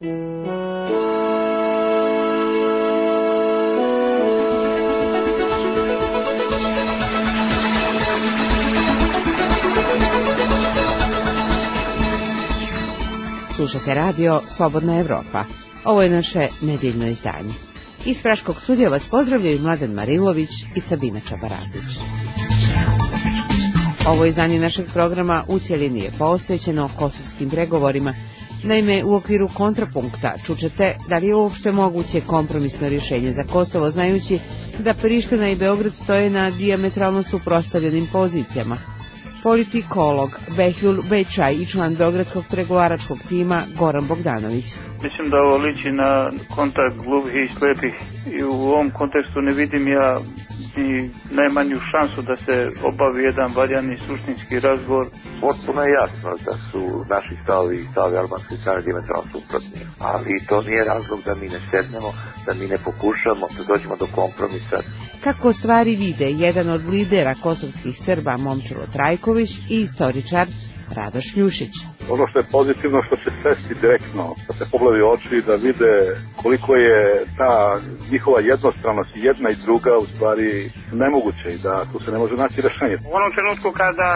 Slušate radio Slobodna Evropa. Ovo je naše nedeljno izdanje. Iz Praškog studija vas pozdravljaju Mladen Marilović i Sabina Čabaradić. Ovo izdanje našeg programa u cjelini je posvećeno kosovskim pregovorima. Naime, u okviru kontrapunkta čućete da li je uopšte moguće kompromisno rješenje za Kosovo, znajući da Priština i Beograd stoje na dijametralno suprotstavljenim pozicijama. Politikolog Behlul Bečaj i član beogradskog pregovaračkog tima Goran Bogdanović. Mislim da ovo liči na kontakt gluvih i slepih i u ovom kontekstu ne vidim ja ni najmanju šansu da se obavi jedan valjani suštinski razgovor. Potpuno je jasno da su naši stavovi i stavovi albanske strane dijametralno suprotni, ali to nije razlog da mi ne sednemo, da mi ne pokušamo da dođemo do kompromisa. Kako stvari vide jedan od lidera kosovskih Srba Momčilo Trajković i istoričar Radoš Ljušić. Ono što je pozitivno što će sesti direktno, da se pogledaju oči i da vide koliko je ta njihova jednostranost jedna i druga u stvari nemoguće i da tu se ne može naći rješenje. U onom trenutku kada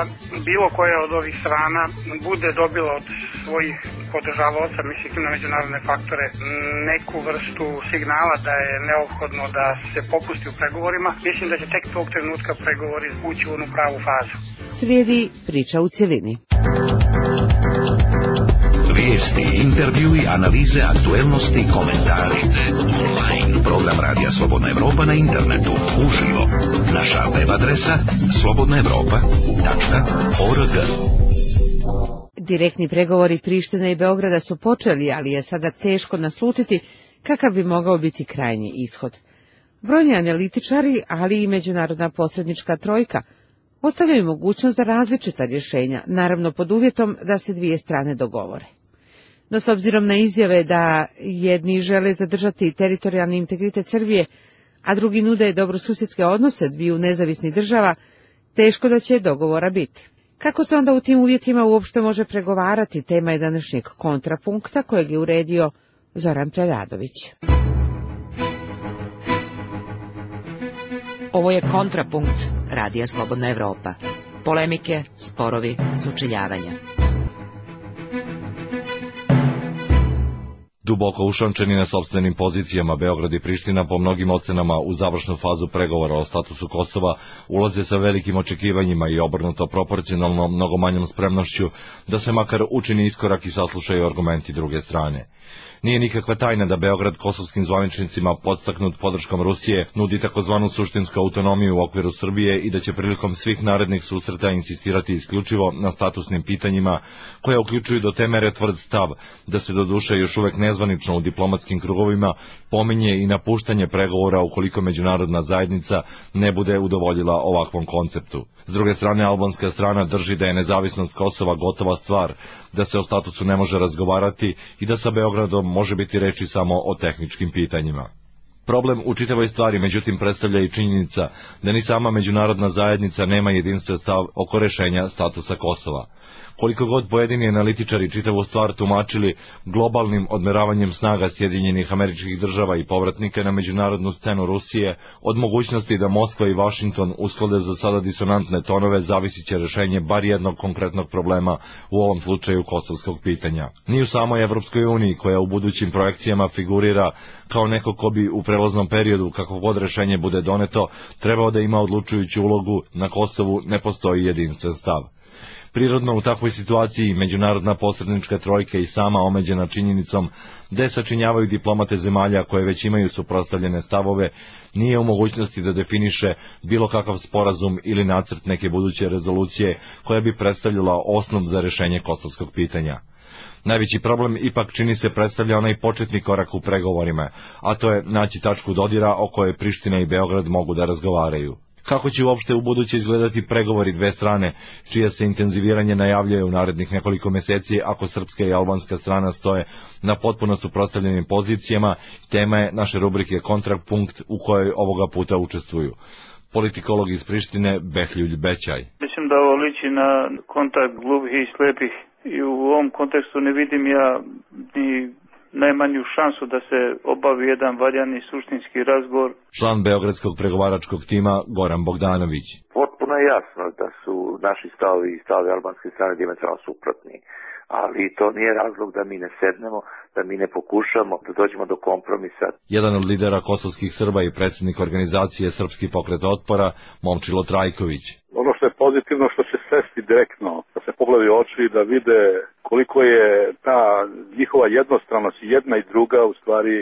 bilo koja od ovih strana bude dobila od svojih podržavaoca, mislim na međunarodne faktore, neku vrstu signala da je neophodno da se popusti u pregovorima, mislim da će tek tog trenutka pregovori ući u onu pravu fazu. Slijedi priča u cjelini. Vijesti, intervjui, analize, aktuelnosti, komentari. Online. Program Radija Slobodna Evropa na internetu. Uživo. Naša web adresa slobodnaevropa.org. Direktni pregovori Prištine i Beograda su počeli, ali je sada teško naslutiti kakav bi mogao biti krajnji ishod. Brojni analitičari, ali i međunarodna posrednička trojka, ostavljaju mogućnost za različita rješenja, naravno pod uvjetom da se dvije strane dogovore. No s obzirom na izjave da jedni žele zadržati teritorijalni integritet Srbije, a drugi nude dobrosusjedske odnose dviju nezavisnih država, teško da će dogovora biti. Kako se onda u tim uvjetima uopšte može pregovarati, tema je današnjeg kontrapunkta kojeg je uredio Zoran Preradović. Ovo je kontrapunkt Radija Slobodna Evropa. Polemike, sporovi, sučeljavanja. Duboko ušančeni na sopstvenim pozicijama, Beograd i Priština po mnogim ocenama u završnu fazu pregovora o statusu Kosova ulaze sa velikim očekivanjima i obrnuto proporcionalno mnogo manjom spremnošću da se makar učini iskorak i saslušaju argumenti druge strane. Nije nikakva tajna da Beograd kosovskim zvaničnicima, podstaknut podrškom Rusije, nudi takozvanu suštinsku autonomiju u okviru Srbije i da će prilikom svih narednih susreta insistirati isključivo na statusnim pitanjima, koja uključuju do te mere tvrd stav da se doduše još uvek nezvanično u diplomatskim krugovima pominje i napuštanje pregovora ukoliko međunarodna zajednica ne bude udovoljila ovakvom konceptu. S druge strane, albanska strana drži da je nezavisnost Kosova gotova stvar, da se o statusu ne može razgovarati i da sa Beogradom može biti reči samo o tehničkim pitanjima. Problem u čitavoj stvari, međutim, predstavlja i činjenica da ni sama međunarodna zajednica nema jedinstven stav oko rešenja statusa Kosova. Koliko god pojedini analitičari čitavu stvar tumačili globalnim odmeravanjem snaga Sjedinjenih Američkih Država i povratnika na međunarodnu scenu Rusije, od mogućnosti da Moskva i Vašington usklade za sada disonantne tonove zavisit će rešenje bar jednog konkretnog problema, u ovom slučaju kosovskog pitanja. Ni u samoj Evropskoj uniji, koja u budućim projekcijama figurira kao neko ko bi u prelaznom periodu, kako god rešenje bude doneto, trebao da ima odlučujuću ulogu, na Kosovu ne postoji jedinstven stav. Prirodno u takvoj situaciji međunarodna posrednička trojka i sama omeđena činjenicom da je sačinjavaju diplomate zemalja koje već imaju suprotstavljene stavove, nije u mogućnosti da definiše bilo kakav sporazum ili nacrt neke buduće rezolucije koja bi predstavljala osnov za rešenje kosovskog pitanja. Najveći problem ipak čini se predstavlja onaj početni korak u pregovorima, a to je naći tačku dodira o kojoj Priština i Beograd mogu da razgovaraju. Kako će uopšte u buduće izgledati pregovori dve strane, čija se intenziviranje najavljuje u narednih nekoliko meseci ako srpska i albanska strana stoje na potpuno suprotstavljenim pozicijama, tema je naše rubrike Kontrapunkt u kojoj ovoga puta učestvuju politikolog iz Prištine Behlul Bečaj. Mislim da ovo liči na kontakt gluvih i slepih i u ovom kontekstu ne vidim ja ni najmanju šansu da se obavi jedan valjani suštinski razgovor. Član beogradskog pregovaračkog tima Goran Bogdanović. Potpuno je jasno da su naši stavovi i stavovi albanske strane dijametralno suprotni, ali to nije razlog da mi ne sednemo, da mi ne pokušamo da dođemo do kompromisa. Jedan od lidera kosovskih Srba i predsjednik organizacije Srpski pokret otpora, Momčilo Trajković. Ono što je pozitivno što će sesti direktno, da se pogledaju oči i da vide koliko je ta njihova jednostranost jedna i druga u stvari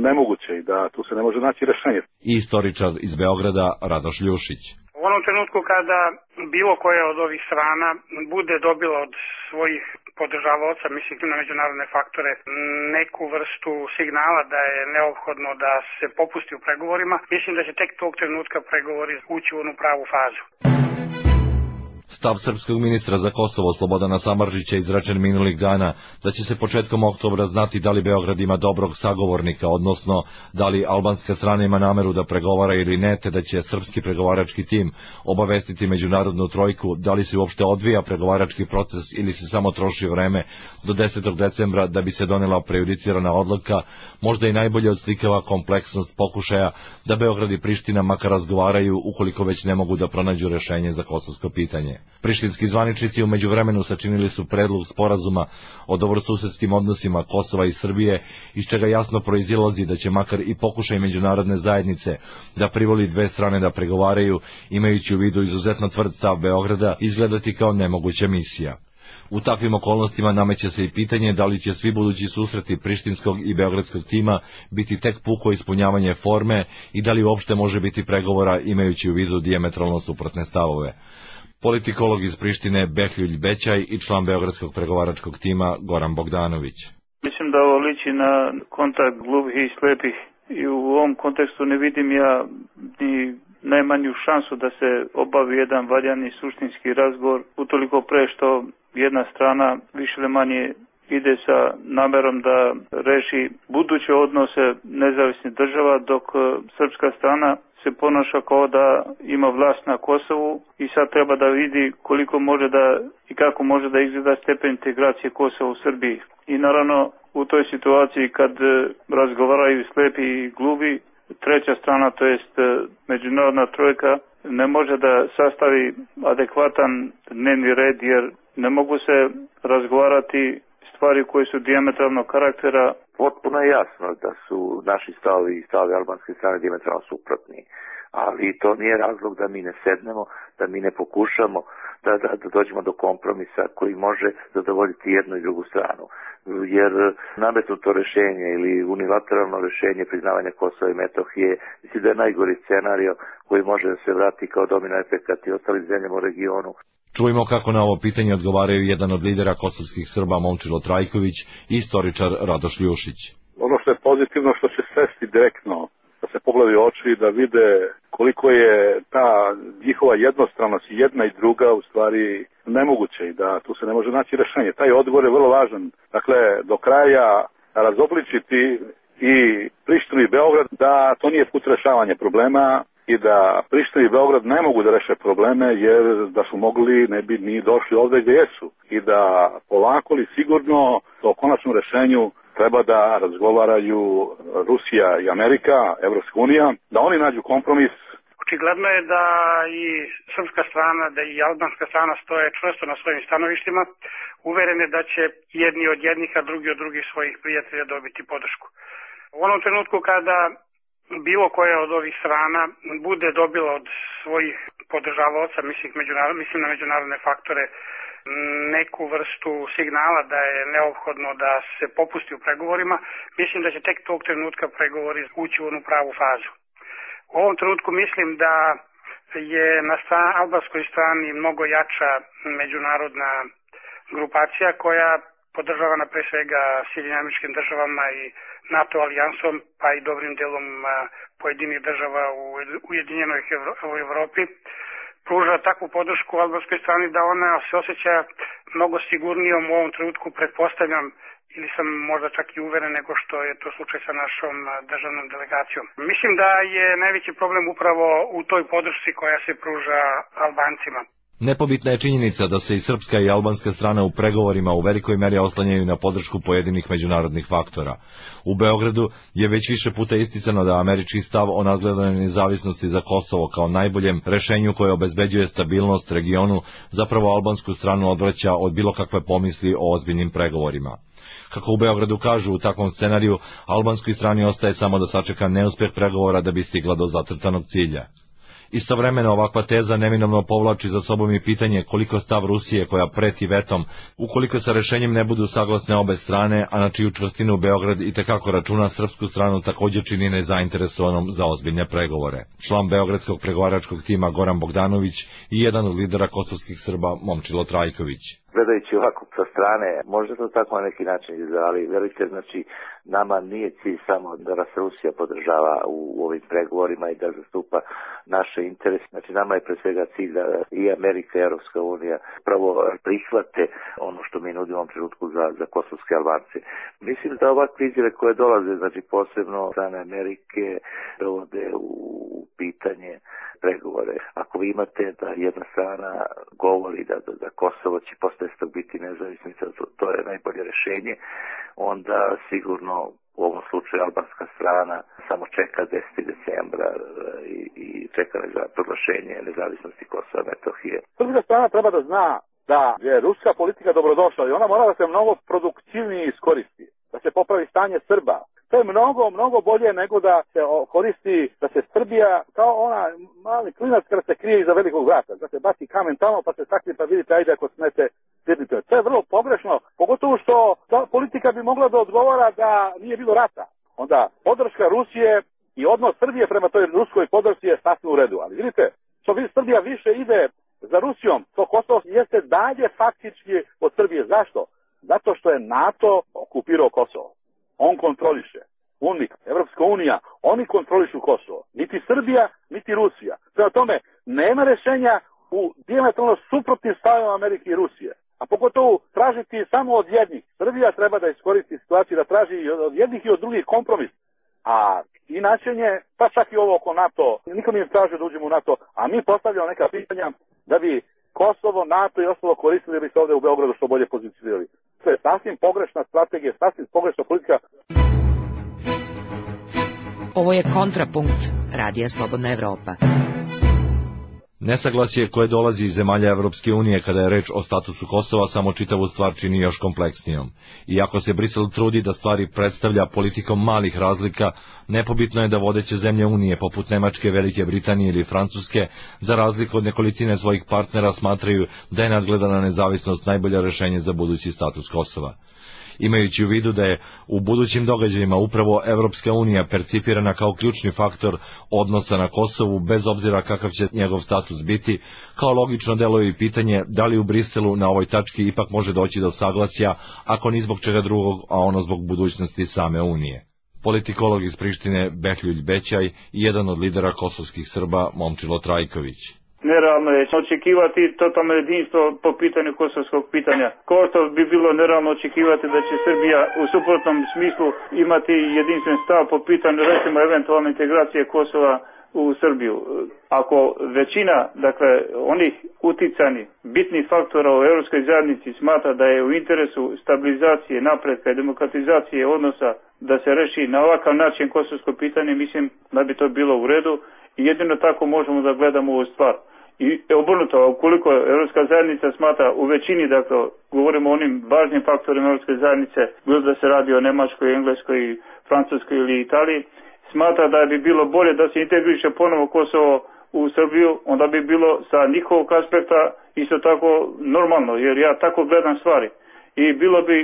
nemoguće i da tu se ne može naći rešenje. I istoričar iz Beograda Radoš Ljušić. U onom trenutku kada bilo koja od ovih strana bude dobila od svojih podržavaoca, mislim na međunarodne faktore, neku vrstu signala da je neophodno da se popusti u pregovorima, mislim da će tek tog trenutka pregovori ući u onu pravu fazu. Stav srpskog ministra za Kosovo Slobodana Samardžića izrečen minulih dana da će se početkom oktobra znati da li Beograd ima dobrog sagovornika, odnosno da li albanska strana ima nameru da pregovara ili ne, te da će srpski pregovarački tim obavestiti međunarodnu trojku da li se uopšte odvija pregovarački proces ili se samo troši vreme do 10. decembra da bi se donela prejudicirana odluka, možda i najbolje odslikava kompleksnost pokušaja da Beograd i Priština makar razgovaraju ukoliko već ne mogu da pronađu rešenje za kosovsko pitanje. Prištinski zvaničnici u međuvremenu sačinili su predlog sporazuma o dobrosusedskim odnosima Kosova i Srbije, iz čega jasno proizilazi da će makar i pokušaj međunarodne zajednice da privoli dve strane da pregovaraju, imajući u vidu izuzetno tvrd stav Beograda, izgledati kao nemoguća misija. U takvim okolnostima nameće se i pitanje da li će svi budući susreti prištinskog i beogradskog tima biti tek puko ispunjavanje forme i da li uopšte može biti pregovora imajući u vidu dijametralno suprotne stavove. Politikolog iz Prištine Behljuljj Bećaj i član beogradskog pregovaračkog tima Goran Bogdanović. Mislim da ovo liči na kontakt gluvih i slepih i u ovom kontekstu ne vidim ja ni najmanju šansu da se obavi jedan valjani suštinski razgovor, utoliko pre što jedna strana više ili manje ide sa namerom da reši buduće odnose nezavisnih država, dok srpska strana se ponaša kao da ima vlast na Kosovu i sad treba da vidi koliko može da i kako može da izgleda stepen integracije Kosova u Srbiji. I naravno u toj situaciji kad razgovaraju slepi i gluvi, treća strana, to jest međunarodna trojka, ne može da sastavi adekvatan dnevni red jer ne mogu se razgovarati stvari koje su dijametralnog karaktera. Potpuno je jasno da su naši stavovi i stavovi albanske strane dijametralno suprotni, ali to nije razlog da mi ne sednemo, da mi ne pokušamo da dođemo do kompromisa koji može zadovoljiti jednu i drugu stranu. Jer nametnuto rešenje ili unilateralno rešenje priznavanja Kosova i Metohije, mislim da je najgori scenario koji može da se vrati kao domino efekat i ostalim zemljama u regionu. Čujmo kako na ovo pitanje odgovaraju jedan od lidera kosovskih Srba Momčilo Trajković i istoričar Radoš Ljušić. Ono što je pozitivno što će sesti direktno, da se pogledaju oči i da vide koliko je ta njihova jednostranost jedna i druga u stvari nemoguće i da tu se ne može naći rešenje. Taj odgovor je vrlo važan. Dakle, do kraja razobličiti i Prištinu i Beograd da to nije put rešavanja problema i da Priština i Beograd ne mogu da reše probleme jer da su mogli ne bi ni došli ovde gdje jesu i da polako li sigurno o konačnom rešenju treba da razgovaraju Rusija i Amerika, Evropska unija, da oni nađu kompromis. Očigledno je da i srpska strana, da i albanska strana stoje čvrsto na svojim stanovištima, uverene da će jedni od jednih, a drugi od drugih svojih prijatelja dobiti podršku. U onom trenutku kada bilo koja od ovih strana bude dobila od svojih podržavaoca, mislim na međunarodne faktore, neku vrstu signala da je neophodno da se popusti u pregovorima, mislim da će tek tog trenutka pregovori ući u onu pravu fazu. U ovom trenutku mislim da je na albanskoj strani mnogo jača međunarodna grupacija koja podržavana pre svega Sjedinjenim Američkim Državama i NATO alijansom, pa i dobrim delom pojedinih država u Ujedinjenoj Evropi, pruža takvu podršku albanskoj strani da ona se osjeća mnogo sigurnijom u ovom trenutku, pretpostavljam, ili sam možda čak i uveren nego što je to slučaj sa našom državnom delegacijom. Mislim da je najveći problem upravo u toj podršci koja se pruža Albancima. Nepobitna je činjenica da se i srpska i albanska strana u pregovorima u velikoj meri oslanjaju na podršku pojedinih međunarodnih faktora. U Beogradu je već više puta isticano da američki stav o nadgledanoj nezavisnosti za Kosovo kao najboljem rešenju koje obezbeđuje stabilnost regionu zapravo albansku stranu odvraća od bilo kakve pomisli o ozbiljnim pregovorima. Kako u Beogradu kažu, u takvom scenariju albanskoj strani ostaje samo da sačeka neuspeh pregovora da bi stigla do zacrtanog cilja. Istovremeno ovakva teza neminovno povlači za sobom i pitanje koliko stav Rusije, koja preti vetom, ukoliko sa rešenjem ne budu saglasne obe strane, a na čiju čvrstinu Beograd itekako računa, srpsku stranu također čini nezainteresovanom za ozbiljne pregovore. Član beogradskog pregovaračkog tima Goran Bogdanović i jedan od lidera kosovskih Srba Momčilo Trajković. Gledajući ovako sa strane, možda to tako na neki način izgleda, ali verujte, znači, nama nije cilj samo da nas Rusija podržava u ovim pregovorima i da zastupa naše interese. Znači, nama je pre svega cilj da i Amerika i Europska unija pravo prihvate ono što mi nudimo u ovom trenutku za kosovske Albance. Mislim da ovakve izjave koje dolaze, znači posebno strane Amerike, dovode u pitanje pregovore. Ako vi imate da jedna strana govori da Kosovo će posle biti nezavisnica, to je najbolje rešenje, onda sigurno u ovom slučaju albanska strana samo čeka 10. decembra i čeka za proglašenje nezavisnosti Kosova i Metohije. Srpska strana treba da zna da je ruska politika dobrodošla i ona mora da se mnogo produktivnije iskoristi, da se popravi stanje Srba. To je mnogo bolje nego da se koristi, da se Srbija kao ona mali klinac kada se krije iza velikog vrata, da se baci kamen tamo pa se sakri pa vidite ajde ako smete sjednite. To je vrlo pogrešno, pogotovo što ta politika bi mogla da odgovara da nije bilo rata. Onda podrška Rusije i odnos Srbije prema toj ruskoj podršci je sasvim u redu. Ali vidite, što Srbija više ide za Rusijom, to Kosovo jeste dalje faktički od Srbije. Zašto? Zato što je NATO okupirao Kosovo. On kontroliše. UNMIK, Evropska unija, oni kontrolišu Kosovo. Niti Srbija, niti Rusija. Prema tome, nema rešenja u dijametralno suprotnim stavima Amerike i Rusije. A pogotovo tražiti samo od jednih. Srbija treba da iskoristi situaciju da traži od jednih i od drugih kompromis. A inačenje, pa čak i ovo oko NATO, niko mi ne traže da uđemo u NATO, a mi postavljamo neka pitanja da bi Kosovo, NATO i ostalo koristili da bi se ovde u Beogradu što bolje pozicionirali. To je sasvim pogrešna strategija, sasvim pogrešna politika. Ovo je Kontrapunkt, Radija Slobodna Evropa. Nesaglasje koje dolazi iz zemalja Evropske unije kada je reč o statusu Kosova samo čitavu stvar čini još kompleksnijom. Iako se Brisel trudi da stvari predstavlja politikom malih razlika, nepobitno je da vodeće zemlje unije poput Nemačke, Velike Britanije ili Francuske, za razliku od nekolicine svojih partnera, smatraju da je nadgledana nezavisnost najbolje rešenje za budući status Kosova. Imajući u vidu da je u budućim događajima upravo Evropska unija percipirana kao ključni faktor odnosa na Kosovu, bez obzira kakav će njegov status biti, kao logično deluje i pitanje da li u Briselu na ovoj tački ipak može doći do saglasja, ako ni zbog čega drugog, a ono zbog budućnosti same Unije. Politikolog iz Prištine Behljuj Bećaj i jedan od lidera kosovskih Srba Momčilo Trajković. Nerealno je očekivati totalno jedinstvo po pitanju kosovskog pitanja. Kao što bi bilo nerealno očekivati da će Srbija u suprotnom smislu imati jedinstven stav po pitanju recimo eventualne integracije Kosova u Srbiju. Ako većina, dakle, onih uticani, bitnih faktora u Europskoj zajednici smatra da je u interesu stabilizacije, napretka i demokratizacije odnosa da se reši na ovakav način kosovsko pitanje, mislim da bi to bilo u redu i jedino tako možemo da gledamo ovu stvar. I obrnuto, ukoliko Europska zajednica smatra u većini, dakle, govorimo o onim važnim faktorima Europske zajednice, bilo da se radi o Nemačkoj, Engleskoj, Francuskoj ili Italiji, smatra da bi bilo bolje da se integriše ponovo Kosovo u Srbiju, onda bi bilo sa njihovog aspekta isto tako normalno, jer ja tako gledam stvari. I bilo bi,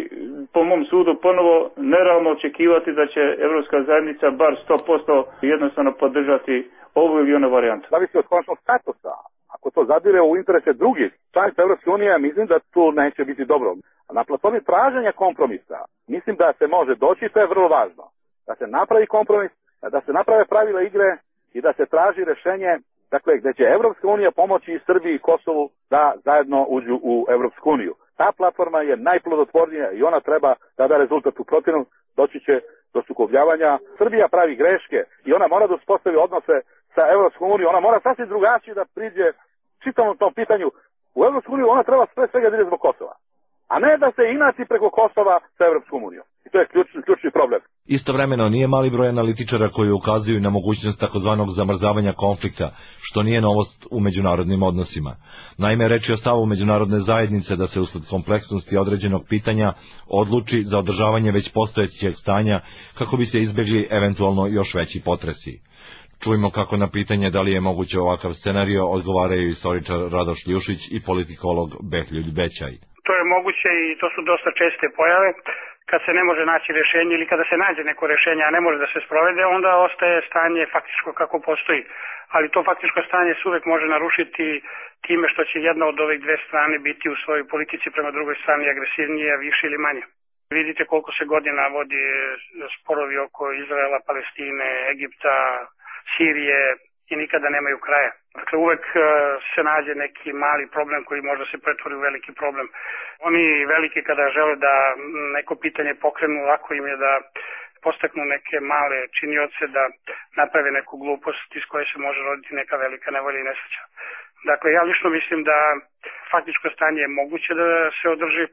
po mom sudu, ponovo nerealno očekivati da će Evropska zajednica bar 100% jednostavno podržati ovu ili onu varijantu. Zavisi od konačnog statusa. Ako to zadire u interese drugih članica Evropske unije, mislim da tu neće biti dobro. Na platformi traženja kompromisa, mislim da se može doći, to je vrlo važno. Da se napravi kompromis, da se naprave pravila igre i da se traži rešenje, dakle, gde će Evropska unija pomoći i Srbiji i Kosovu da zajedno uđu u Evropsku uniju. Ta platforma je najplodotvornija i ona treba da da rezultat. U protivnom doći će do sukobljavanja. Srbija pravi greške i ona mora da uspostavi odnose sa Evropskom unijom. Ona mora sasvim drugačije da priđe čitavom tom pitanju. u Evropsku uniju, ona treba sve svega da ide zbog Kosova, a ne da se inači preko Kosova sa Evropskom unijom. I to je ključni problem. Istovremeno nije mali broj analitičara koji ukazuju na mogućnost takozvanog zamrzavanja konflikta, što nije novost u međunarodnim odnosima. Naime, reč je o stavu međunarodne zajednice da se usled kompleksnosti određenog pitanja odluči za održavanje već postojećeg stanja kako bi se izbjegli eventualno još veći potresi. Čujmo kako na pitanje da li je moguće ovakav scenario odgovaraju istoričar Radoš Ljušić i politikolog Behljuljt Bećaj. To je moguće i to su dosta česte pojave. Kad se ne može naći rješenje ili kada se nađe neko rješenje, a ne može da se sprovede, onda ostaje stanje faktičko kako postoji. Ali to faktičko stanje se uvek može narušiti time što će jedna od ovih dve strane biti u svojoj politici prema drugoj strani agresivnije, više ili manje. Vidite koliko se godina vodi sporovi oko Izraela, Palestine, Egipta, Sirije i nikada nemaju kraja. Dakle, uvek se nađe neki mali problem koji možda se pretvori u veliki problem. Oni veliki kada žele da neko pitanje pokrenu, lako im je da postaknu neke male činioce da naprave neku glupost iz koje se može roditi neka velika nevolja i nesreća. Dakle, ja lično mislim da faktičko stanje je moguće da se održi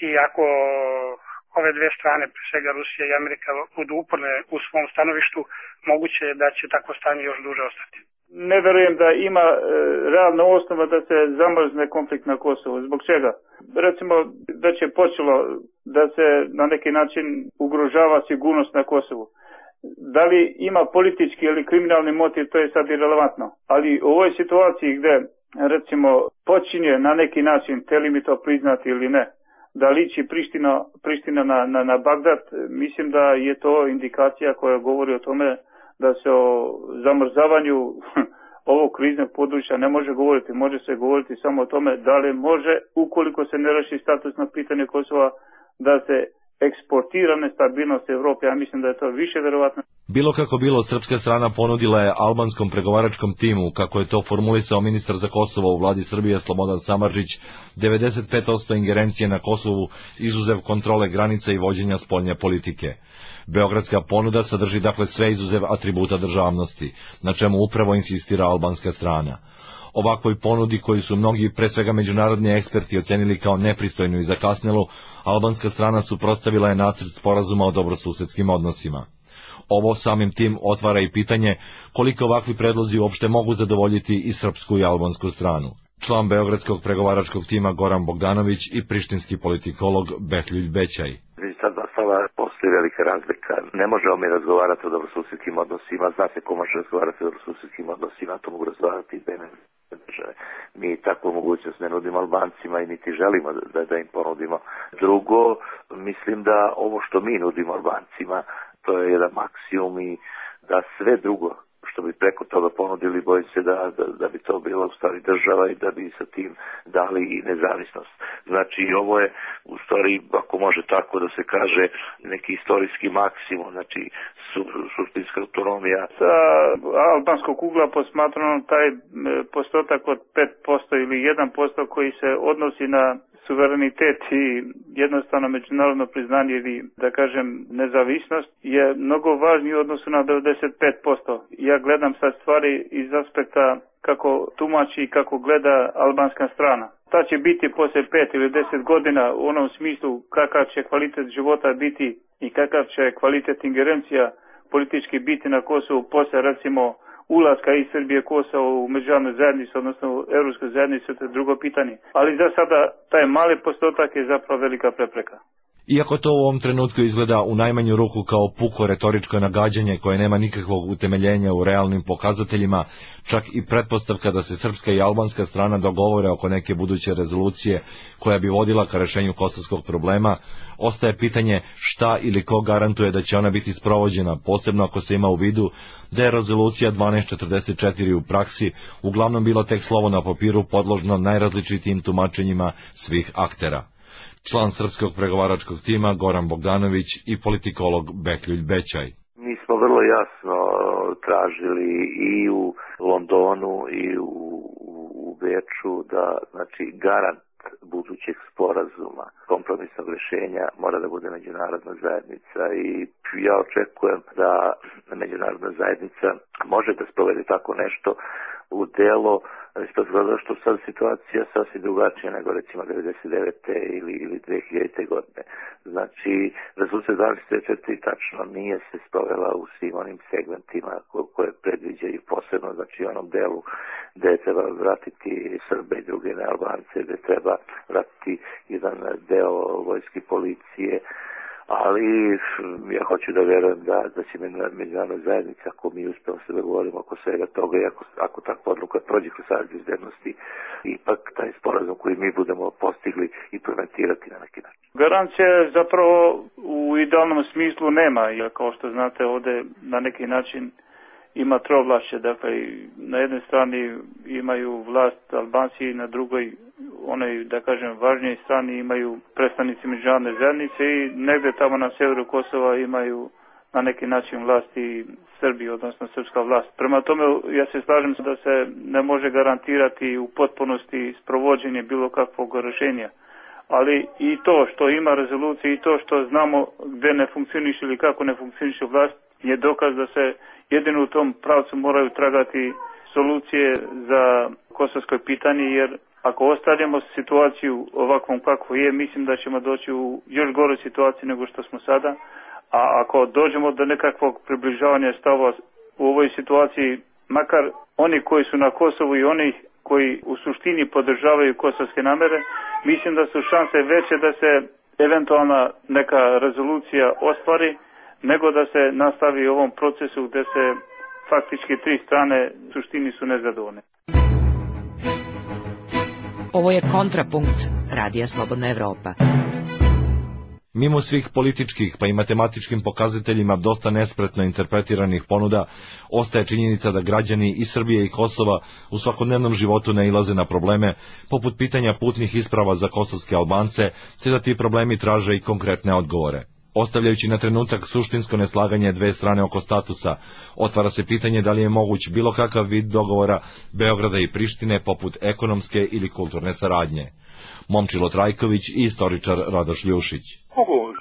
i ako ove dve strane, pre svega Rusija i Amerika, budu uporne u svom stanovištu, moguće je da će takvo stanje još duže ostati. Ne verujem da ima realna osnova da se zamrzne konflikt na Kosovu. Zbog čega? Recimo da će počelo da se na neki način ugrožava sigurnost na Kosovu. Da li ima politički ili kriminalni motiv, to je sad irelevantno. Ali u ovoj situaciji gde recimo počinje na neki način, hteli mi to priznati ili ne, da liči Priština na Bagdad, mislim da je to indikacija koja govori o tome da se o zamrzavanju ovog kriznog područja ne može govoriti. Može se govoriti samo o tome da li može, ukoliko se ne reši statusno pitanje Kosova, da se eksportira nestabilnost Evrope. Ja mislim da je to više verovatno. Bilo kako bilo, srpska strana ponudila je albanskom pregovaračkom timu, kako je to formulisao ministar za Kosovo u vladi Srbije Slobodan Samardžić, 95% ingerencije na Kosovu, izuzev kontrole granica i vođenja spoljne politike. Beogradska ponuda sadrži dakle sve izuzev atributa državnosti, na čemu upravo insistira albanska strana. Ovakvoj ponudi koju su mnogi, pre svega međunarodni eksperti, ocenili kao nepristojnu i zakasnelu, albanska strana suprotstavila je nacrt sporazuma o dobrosusedskim odnosima. Ovo samim tim otvara i pitanje koliko ovakvi predlozi uopšte mogu zadovoljiti i srpsku i albansku stranu. Član beogradskog pregovaračkog tima Goran Bogdanović i prištinski politikolog Behljuljt Bećaj. Sad nastala postoji velika razlika. Ne možemo mi razgovarati o dobrosusedskim odnosima, zna se ko može razgovarati o dobrosusedskim odnosima, to mogu razgovarati i države. Mi takvu mogućnost ne nudimo Albancima i niti želimo da im ponudimo. Drugo, mislim da ovo što mi nudimo Albancima, to je jedan maksimum i da sve drugo što bi preko toga ponudili, bojim se da bi to bila u stvari država i da bi sa tim dali i nezavisnost. Znači, ovo je u stvari, ako može tako da se kaže, neki istorijski maksimum, znači suštinska autonomija. Sa albanskog ugla posmatrano taj postotak od 5% ili 1% koji se odnosi na suverenitet i jednostavno međunarodno priznanje ili, da kažem, nezavisnost je mnogo važniji u odnosu na 95%. Ja gledam sad stvari iz aspekta kako tumači i kako gleda albanska strana. Ta će biti poslije 5 ili 10 godina u onom smislu kakav će kvalitet života biti i kakav će kvalitet ingerencija politički biti na Kosovu poslije, recimo, ulaska iz Srbije Kosova u međunarodnu zajednicu, odnosno u Evropsku zajednicu, to je drugo pitanje. Ali za sada taj mali postotak je zapravo velika prepreka. Iako to u ovom trenutku izgleda u najmanju ruku kao puko retoričko nagađanje koje nema nikakvog utemeljenja u realnim pokazateljima, čak i pretpostavka da se srpska i albanska strana dogovore oko neke buduće rezolucije koja bi vodila ka rešenju kosovskog problema, ostaje pitanje šta ili ko garantuje da će ona biti sprovođena, posebno ako se ima u vidu da je rezolucija 1244 u praksi uglavnom bilo tek slovo na papiru podložno najrazličitijim tumačenjima svih aktera. Član srpskog pregovaračkog tima Goran Bogdanović i politikolog Behljuljt Bećaj. Mi smo vrlo jasno tražili i u Londonu i u Beču da, znači, garant budućeg sporazuma, kompromisnog rješenja mora da bude međunarodna zajednica i ja očekujem da međunarodna zajednica može da sprovede tako nešto u delo, zato što sad situacija sasvim drugačija nego recimo 99. ili 2000. godine. Znači, rezolucija 24. tačno nije se sprovela u svim onim segmentima koje predviđaju posebno, znači onom delu gde treba vratiti Srbe i druge nealbance, gde treba vratiti jedan deo vojske policije, ali ja hoću da verujem da će međunarodna zajednica, ako mi uspemo se dogovorimo oko svega toga i ako takva odluka prođe kroz Savet bezbednosti, ipak taj sporazum koji mi budemo postigli implementirati na neki način. Garancija zapravo u idealnom smislu nema, jer kao što znate ovde na neki način ima trovlašće, dakle na jednoj strani imaju vlast Albanci i na drugoj, onoj da kažem važnijoj strani imaju predstavnici međunarodne zajednice i negde tamo na severu Kosova imaju na neki način vlasti Srbije, odnosno srpska vlast. Prema tome ja se slažem da se ne može garantirati u potpunosti sprovođenje bilo kakvog rešenja. Ali i to što ima rezolucije i to što znamo gde ne funkcioniše ili kako ne funkcioniše vlast je dokaz da se jedino u tom pravcu moraju tragati solucije za kosovsko pitanje, jer ako ostavljamo situaciju ovakvom kako je, mislim da ćemo doći u još goru situaciju nego što smo sada, a ako dođemo do nekakvog približavanja stavova u ovoj situaciji, makar oni koji su na Kosovu i oni koji u suštini podržavaju kosovske namere, mislim da su šanse veće da se eventualna neka rezolucija ostvari, nego da se nastavi u ovom procesu gde se faktički tri strane u suštini su nezadovoljne. Ovo je Kontrapunkt Radija Slobodna Evropa. Mimo svih političkih pa i matematičkim pokazateljima dosta nespretno interpretiranih ponuda, ostaje činjenica da građani i Srbije i Kosova u svakodnevnom životu nailaze na probleme, poput pitanja putnih isprava za kosovske Albance, te da ti problemi traže i konkretne odgovore. Ostavljajući na trenutak suštinsko neslaganje dve strane oko statusa, otvara se pitanje da li je moguć bilo kakav vid dogovora Beograda i Prištine poput ekonomske ili kulturne saradnje. Momčilo Trajković i istoričar Radoš Ljušić.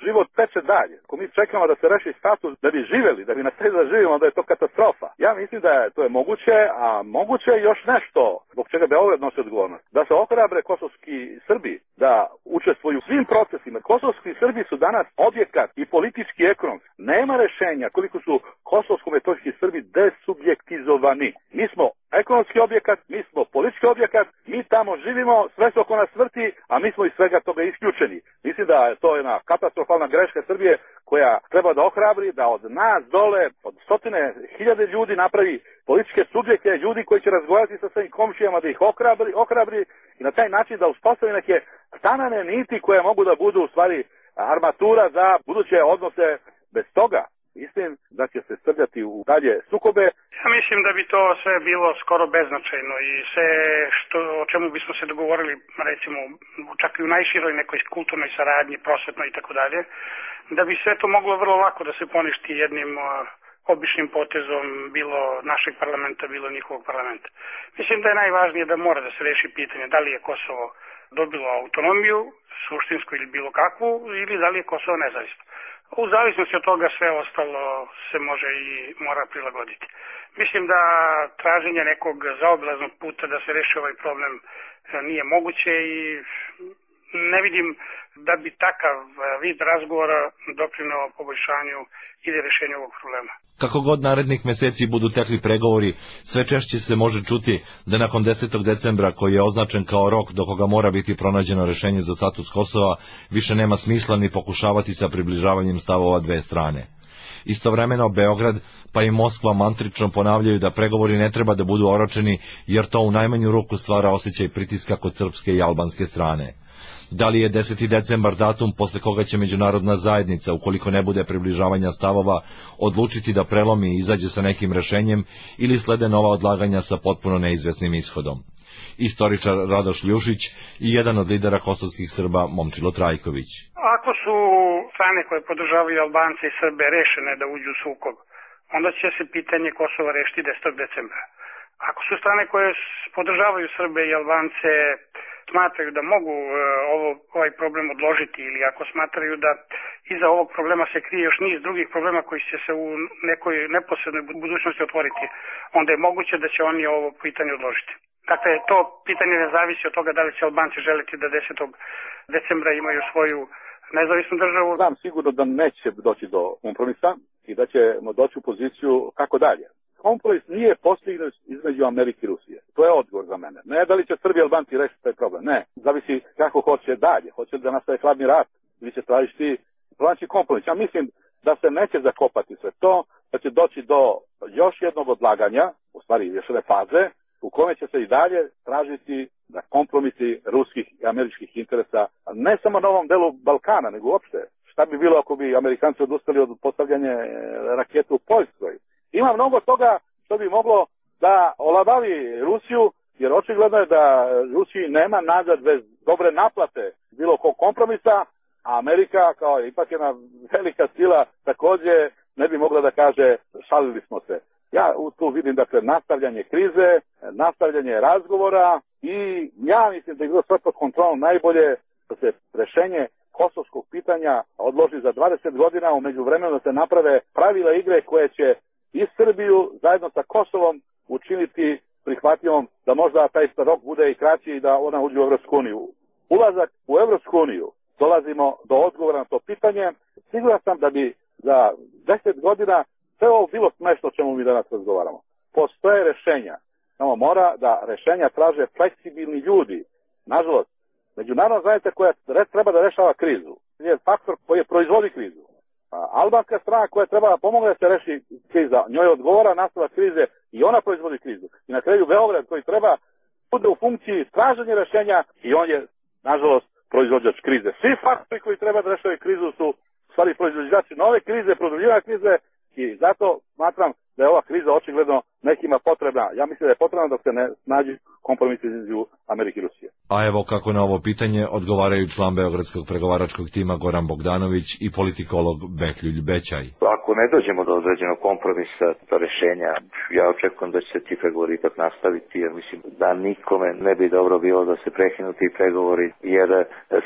Život teče dalje. Ako mi čekamo da se reši status da bi živeli, da bi nastavili da živimo, onda je to katastrofa. Ja mislim da je to je moguće, a moguće je još nešto zbog čega Beograd nosi odgovornost. Da se ohrabre kosovski Srbi, da učestvuju u svim procesima. Kosovski Srbi su danas objekat i politički i ekonomski. Nema rešenja koliko su kosovsko-metohijski Srbi desubjektizovani. Mi smo ekonomski objekat, mi smo politički objekat, mi tamo živimo, sve se oko nas vrti, a mi smo iz svega toga isključeni. Mislim da je to jedna katastrofalna greška Srbije koja treba da ohrabri, da od nas dole, od stotine hiljade ljudi napravi političke subjekte, ljudi koji će razgovarati sa svojim komšijama, da ih ohrabri i na taj način da uspostavi neke stanane niti koje mogu da budu u stvari armatura za buduće odnose. Bez toga mislim da će se srljati u dalje sukobe. Ja mislim da bi to sve bilo skoro beznačajno i sve o čemu bismo se dogovorili, recimo čak i u najširoj nekoj kulturnoj saradnji, prosvetnoj i tako dalje, da bi sve to moglo vrlo lako da se poništi jednim običnim potezom bilo našeg parlamenta, bilo njihovog parlamenta. Mislim da je najvažnije da mora da se reši pitanje da li je Kosovo dobilo autonomiju, suštinsku ili bilo kakvu, ili da li je Kosovo nezavisno. U zavisnosti od toga sve ostalo se može i mora prilagoditi. Mislim da traženje nekog zaobilaznog puta da se reši ovaj problem nije moguće i ne vidim da bi takav vid razgovora doprineo poboljšanju ili rešenju ovog problema. Kako god narednih meseci budu tekli pregovori, sve češće se može čuti da nakon 10. decembra, koji je označen kao rok do koga mora biti pronađeno rešenje za status Kosova, više nema smisla ni pokušavati sa približavanjem stavova dve strane. Istovremeno Beograd pa i Moskva mantrično ponavljaju da pregovori ne treba da budu oročeni, jer to u najmanju ruku stvara osjećaj pritiska kod srpske i albanske strane. Da li je 10. decembar datum posle koga će međunarodna zajednica, ukoliko ne bude približavanja stavova, odlučiti da prelomi i izađe sa nekim rešenjem ili slede nova odlaganja sa potpuno neizvesnim ishodom? Istoričar Radoš Ljušić i jedan od lidera kosovskih Srba Momčilo Trajković. Ako su strane koje podržavaju Albance i Srbe rešene da uđu u sukob, onda će se pitanje Kosova rešiti 10. decembra. Ako su strane koje podržavaju Srbe i Albance smatraju da mogu ovaj problem odložiti ili ako smatraju da iza ovog problema se krije još niz drugih problema koji će se u nekoj neposrednoj budućnosti otvoriti, onda je moguće da će oni ovo pitanje odložiti. Dakle, to pitanje ne zavisi od toga da li će Albanci želiti da 10. decembra imaju svoju nezavisnu državu. Znam sigurno da neće doći do kompromisa i da ćemo doći u poziciju kako dalje. Kompromis nije postignut između Amerike i Rusije. To je odgovor za mene. Ne da li će Srbi i Albanci rešiti taj problem. Ne. Zavisi kako hoće dalje. Hoće da nastaje hladni rat ili će tražiti pronaći kompromis. Ja mislim da se neće zakopati sve to, da će doći do još jednog odlaganja, u stvari još jedne faze, u kome će se i dalje tražiti da kompromisi ruskih i američkih interesa, ne samo na ovom delu Balkana, nego uopšte. Šta bi bilo ako bi Amerikanci odustali od postavljanja rakete u Poljskoj? Ima mnogo toga što bi moglo da olabavi Rusiju, jer očigledno je da Rusiji nema nazad bez dobre naplate bilo kog kompromisa, a Amerika kao ipak jedna velika sila takođe ne bi mogla da kaže šalili smo se. Ja tu vidim dakle nastavljanje krize, nastavljanje razgovora i ja mislim da je bilo sve pod kontrolom najbolje da se rešenje kosovskog pitanja odloži za 20 godina, u međuvremenu da se naprave pravila igre koje će i Srbiju zajedno sa Kosovom učiniti prihvatljivom da možda taj rok bude i kraći i da ona uđe u Evropsku uniju. Ulazak u Evropsku uniju dolazimo do odgovora na to pitanje. Siguran sam da bi za 10 godina sve ovo bilo smešno o čemu mi danas razgovaramo. Postoje rešenja. Samo mora da rešenja traže fleksibilni ljudi. Nažalost, međunarodna zajednica koja treba da rešava krizu je faktor koji proizvodi krizu. Albanska strana koja treba da pomogne da se reši kriza, njoj odgovara nastavak krize i ona proizvodi krizu. I na kraju Beograd koji treba bude u funkciji traženja rešenja i on je, nažalost, proizvođač krize. Svi faktori koji treba da rešavaju krizu su stvari proizvođači nove krize, produbljivanja krize i zato smatram da je ova kriza očigledno nekima potrebna. Ja mislim da je potrebna dok se ne snađi kompromis između Amerike i Rusije. A evo kako na ovo pitanje odgovaraju član beogradskog pregovaračkog tima Goran Bogdanović i politikolog Behljulj Bećaj. Ako ne dođemo do određenog kompromisa, do rešenja, ja očekujem da će se ti pregovori ipak nastaviti, jer mislim da nikome ne bi dobro bilo da se prekinu ti pregovori, jer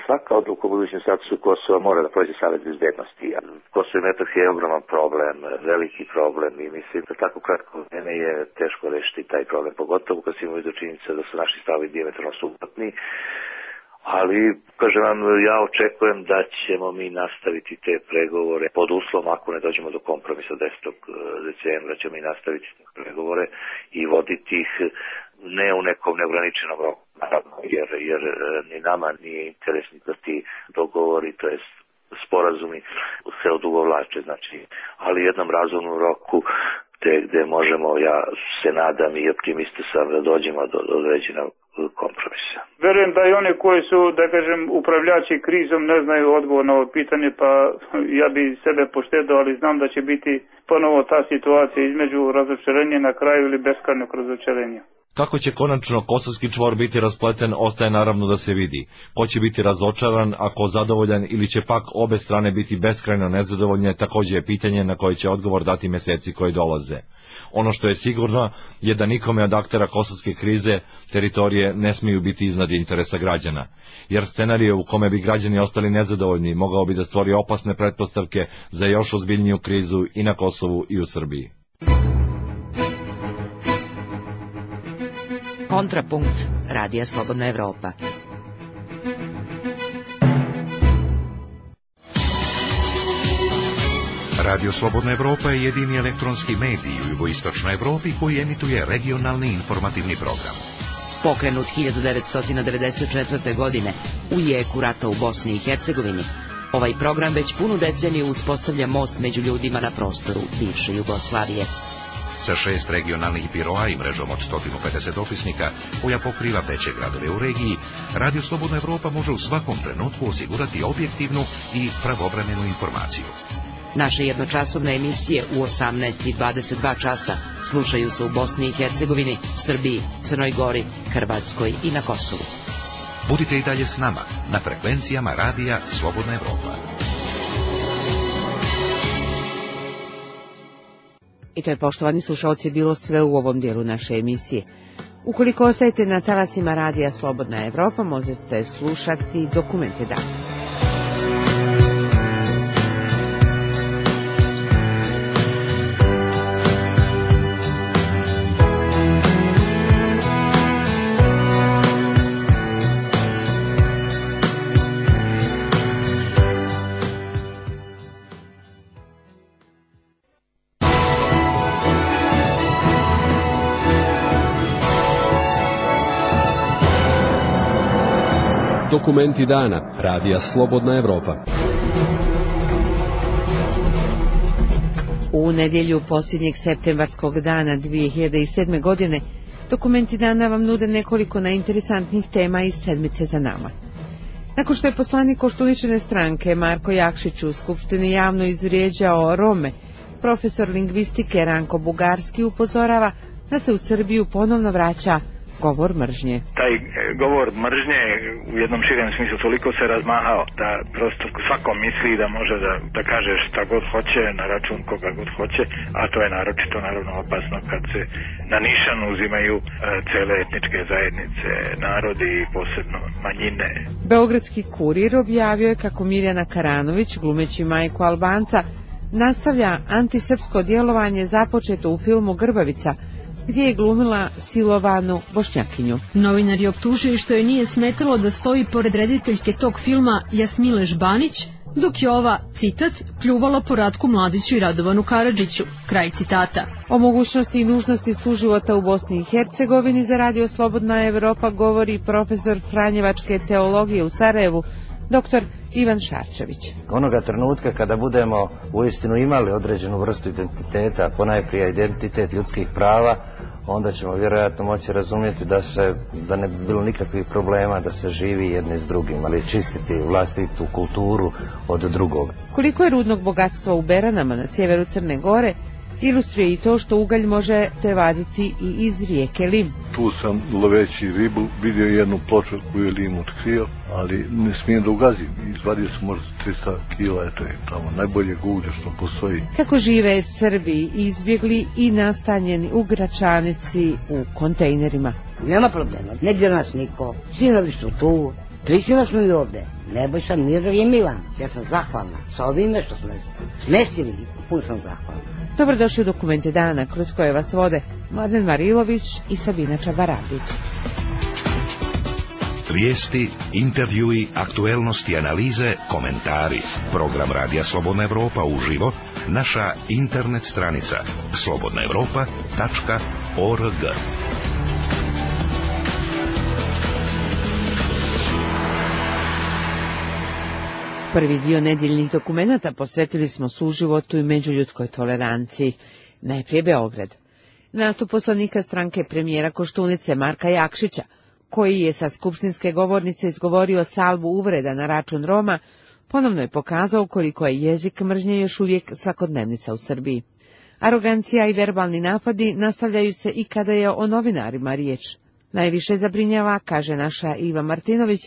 svaka odluka u budućem statusu Kosova mora da prođe Savet bezbednosti. Kosovo i Metohija je ogroman problem, veliki problem i mislim da tako kratko vreme je teško rešiti taj problem, pogotovo kad se imaju do činjenica da su naši stavovi dijametralno suprotni. Ali, kažem vam, ja očekujem da ćemo mi nastaviti te pregovore pod uslovom ako ne dođemo do kompromisa 10. decembra, ćemo mi nastaviti te pregovore i voditi ih ne u nekom neograničenom roku, naravno, jer ni nama nije interesni da ti dogovori, to jest sporazumi se odugovlače, znači, ali jednom razumnom roku gde možemo, ja se nadam i optimista sam da dođemo do određenog kompromisa. Verujem da i one koji su, da kažem, upravljači krizom ne znaju odgovor na ovo pitanje, pa ja bi sebe poštedao, ali znam da će biti ponovo ta situacija između razočarenja na kraju ili beskrajnog razočarenja. Kako će konačno kosovski čvor biti raspleten, ostaje naravno da se vidi. Ko će biti razočaran, ako zadovoljan, ili će pak obe strane biti beskrajno nezadovoljne, također je pitanje na koje će odgovor dati meseci koji dolaze. Ono što je sigurno je da nikome od aktera kosovske krize teritorije ne smiju biti iznad interesa građana, jer scenarij u kome bi građani ostali nezadovoljni mogao bi da stvori opasne pretpostavke za još ozbiljniju krizu i na Kosovu i u Srbiji. Kontrapunkt Radija Slobodna Evropa. Radio Slobodna Evropa je jedini elektronski medij u jugoistočnoj Evropi koji emituje regionalni informativni program. Pokrenut 1994. godine u jeku rata u Bosni i Hercegovini, ovaj program već punu deceniju uspostavlja most među ljudima na prostoru bivše Jugoslavije. Sa 6 regionalnih biroa i mrežom od 150 dopisnika koja pokriva veće gradove u regiji, Radio Slobodna Evropa može u svakom trenutku osigurati objektivnu i pravovremenu informaciju. Naše jednočasovne emisije u 18 i 22 časa slušaju se u Bosni i Hercegovini, Srbiji, Crnoj Gori, Hrvatskoj i na Kosovu. Budite i dalje s nama na frekvencijama Radija Slobodna Evropa. I to je, poštovani slušalci, bilo sve u ovom dijelu naše emisije. Ukoliko ostajete na talasima radija Slobodna Evropa, možete slušati Dokumente dana. Dokumenti dana radija Slobodna Evropa. U nedjelju posljednjeg septembarskog dana 2007. godine Dokumenti dana vam nude nekoliko najinteresantnijih tema iz sedmice za nama. Nakon što je poslanik Koštuničine stranke Marko Jakšić u Skupštini javno izvrijeđao Rome, profesor lingvistike Ranko Bugarski upozorava da se u Srbiju ponovno vraća govor mržnje. Taj govor mržnje u jednom širem smislu toliko se razmahao da prosto svako misli da može da kaže šta god hoće na račun koga god hoće, a to je naročito naravno opasno kad se na nišan uzimaju cele etničke zajednice, narodi i posebno manjine. Beogradski kurir objavio je kako Mirjana Karanović, glumeći majku Albanca, nastavlja antisrpsko djelovanje započeto u filmu Grbavica, gdje je glumila silovanu Bošnjakinju. Novinari optužuju što joj nije smetalo da stoji pored rediteljke tog filma Jasmile Žbanić, dok je ova, citat, pljuvala po Ratku Mladiću i Radovanu Karadžiću. Kraj citata. O mogućnosti i nužnosti suživota u Bosni i Hercegovini za Radio Slobodna Evropa govori profesor franjevačke teologije u Sarajevu, dr. Ivan Šarčević. Onoga trenutka kada budemo uistinu imali određenu vrstu identiteta, ponajprije identitet ljudskih prava, onda ćemo vjerojatno moći razumjeti da ne bi bilo nikakvih problema da se živi jedni s drugim, ali čistiti vlastitu kulturu od drugog. Koliko je rudnog bogatstva u Beranama na sjeveru Crne Gore, ilustruje i to što ugalj možete vaditi i iz rijeke Lim. Tu sam loveći ribu vidio jednu ploču koju je Lim otkrio, ali ne smijem da ugazim. Izvadio sam možda 300 kila, eto je tamo najbolje uglje što postoji. Kako žive Srbi izbjegli i nastanjeni u Gračanici u kontejnerima? Nema problema, ne dira nas niko, sinovi su tu, prisila smo i ovde. Nebojša Miodrag je Milan, ja sam zahvalna sa ovime što smo smestili, puno sam zahvalna. Dobrodošli u Dokumente dana, kroz koje vas vode Mladen Marilović i Sabina Čabaradić. Vijesti, intervjui, aktuelnosti, analize, komentari. Program Radija Slobodna Evropa uživo, naša internet stranica slobodnaevropa.org. Prvi dio nedjeljnih dokumenata posvetili smo suživotu i međuljudskoj toleranciji. Najprije Beograd. Nastup poslanika stranke premijera Koštunice Marka Jakšića, koji je sa skupštinske govornice izgovorio salvu uvreda na račun Roma, ponovno je pokazao koliko je jezik mržnje još uvijek svakodnevnica u Srbiji. Arogancija i verbalni napadi nastavljaju se i kada je o novinarima riječ. Najviše zabrinjava, kaže naša Iva Martinović,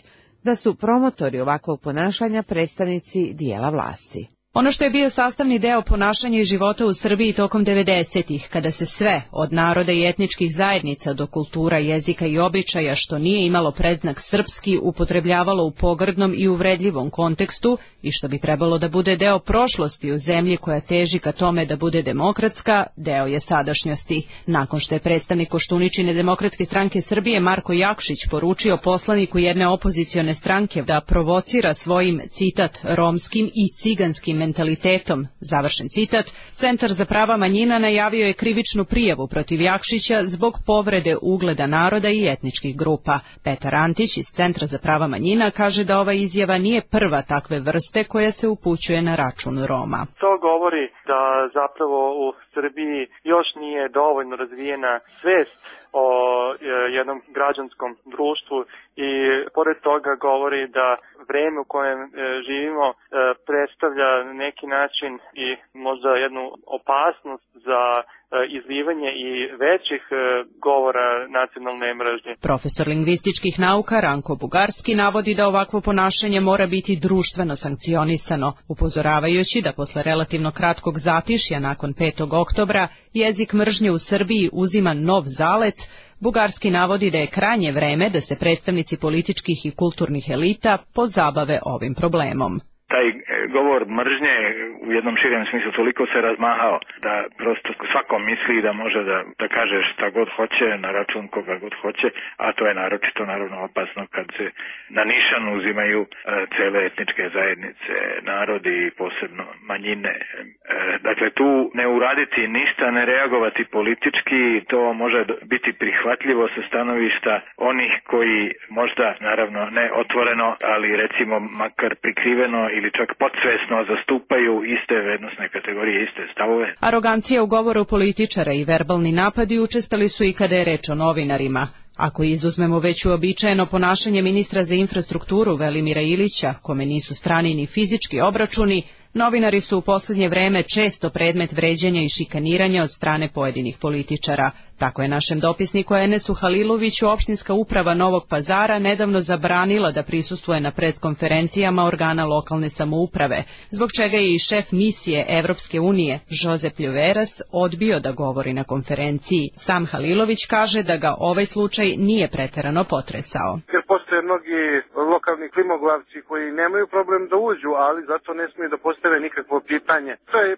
da su promotori ovakvog ponašanja predstavnici dijela vlasti. Ono što je bio sastavni deo ponašanja i života u Srbiji tokom 90-ih, kada se sve, od naroda i etničkih zajednica do kultura, jezika i običaja, što nije imalo predznak srpski, upotrebljavalo u pogrdnom i uvredljivom kontekstu i što bi trebalo da bude deo prošlosti u zemlji koja teži ka tome da bude demokratska, deo je sadašnjosti. Nakon što je predstavnik Koštuničine Demokratske stranke Srbije Marko Jakšić poručio poslaniku jedne opozicione stranke da provocira svojim, citat, romskim i ciganskim mentalitetom, završen citat, Centar za prava manjina najavio je krivičnu prijavu protiv Jakšića zbog povrede ugleda naroda i etničkih grupa. Petar Antić iz Centra za prava manjina kaže da ova izjava nije prva takve vrste koja se upućuje na račun Roma. To govori da zapravo u Srbiji još nije dovoljno razvijena svest o jednom građanskom društvu i pored toga govori da vreme u kojem živimo predstavlja na neki način i možda jednu opasnost za izlivanje i većih govora nacionalne mržnje. Profesor lingvističkih nauka Ranko Bugarski navodi da ovakvo ponašanje mora biti društveno sankcionisano, upozoravajući da posle relativno kratkog zatišja nakon 5. oktobra jezik mržnje u Srbiji uzima nov zalet, Bugarski navodi da je krajnje vreme da se predstavnici političkih i kulturnih elita pozabave ovim problemom. Taj govor mržnje u jednom širem smislu toliko se razmahao da prosto svako misli da može da kaže šta god hoće na račun koga god hoće, a to je naročito naravno opasno kad se na nišan uzimaju cele etničke zajednice, narodi i posebno manjine. Dakle, tu ne uraditi ništa, ne reagovati politički, to može biti prihvatljivo sa stanovišta onih koji možda, naravno ne otvoreno, ali recimo makar prikriveno ili čak podsvesno zastupaju iste vrednosne kategorije, iste stavove. Arogancija u govoru političara i verbalni napadi učestali su i kada je reč o novinarima. Ako izuzmemo već uobičajeno ponašanje ministra za infrastrukturu Velimira Ilića, kome nisu strani ni fizički obračuni, novinari su u posljednje vreme često predmet vređanja i šikaniranja od strane pojedinih političara. Tako je našem dopisniku Enesu Haliloviću opštinska uprava Novog Pazara nedavno zabranila da prisustvuje na preskonferencijama organa lokalne samouprave, zbog čega je i šef misije Evropske unije, Josep Ljoveras, odbio da govori na konferenciji. Sam Halilović kaže da ga ovaj slučaj nije preterano potresao. Jer postoje mnogi lokalni klimoglavci koji nemaju problem da uđu, ali zato ne smiju da postave nikakvo pitanje. To je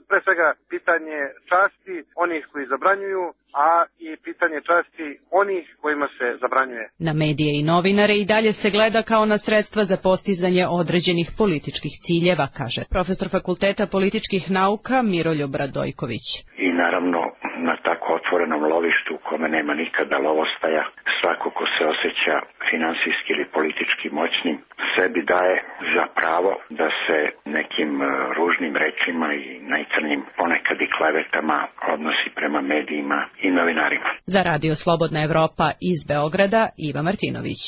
pre svega pitanje časti onih koji zabranjuju, a i pitanje časti onih kojima se zabranjuje. Na medije i novinare i dalje se gleda kao na sredstva za postizanje određenih političkih ciljeva, kaže profesor Fakulteta političkih nauka Miroljub Radojković. I naravno na tako otvorenom lovištu u kome nema nikada lovostaja, svako ko se osjeća finansijski ili politički moćnim, sebi daje za pravo da se nekim ružnim rečima i najcrnjim, ponekad i klevetama odnosi prema medijima i novinarima. Za Radio Slobodna Evropa iz Beograda, Iva Martinović.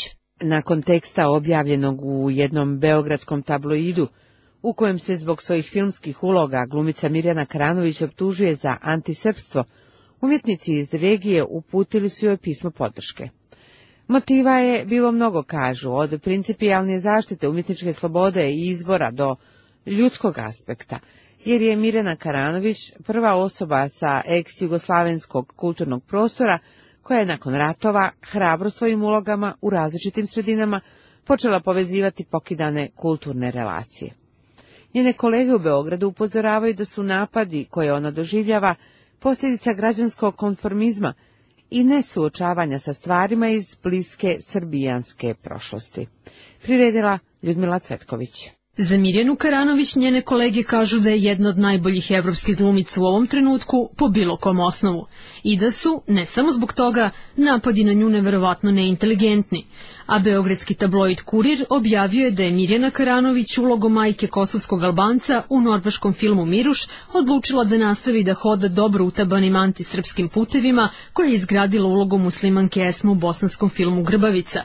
Nakon teksta objavljenog u jednom beogradskom tabloidu, u kojem se zbog svojih filmskih uloga glumica Mirjana Karanović optužuje za antisrpstvo, umjetnici iz regije uputili su joj pismo podrške. Motiva je bilo mnogo, kažu, od principijalne zaštite umjetničke slobode i izbora do ljudskog aspekta, jer je Mirjana Karanović prva osoba sa ex-jugoslavenskog kulturnog prostora koja je nakon ratova hrabro svojim ulogama u različitim sredinama počela povezivati pokidane kulturne relacije. Njene kolege u Beogradu upozoravaju da su napadi koje ona doživljava posljedica građanskog konformizma i nesuočavanja sa stvarima iz bliske srbijanske prošlosti. Priredila Ljudmila Cvetković. Za Mirjanu Karanović njene kolege kažu da je jedna od najboljih evropskih glumica u ovom trenutku po bilo kom osnovu i da su, ne samo zbog toga, napadi na nju neverovatno neinteligentni. A beogradski tabloid Kurir objavio je da je Mirjana Karanović ulogom majke kosovskog Albanca u norveškom filmu Miruš odlučila da nastavi da hoda dobro utabanim antisrpskim putevima koje je izgradila ulogom muslimanke Esme u bosanskom filmu Grbavica.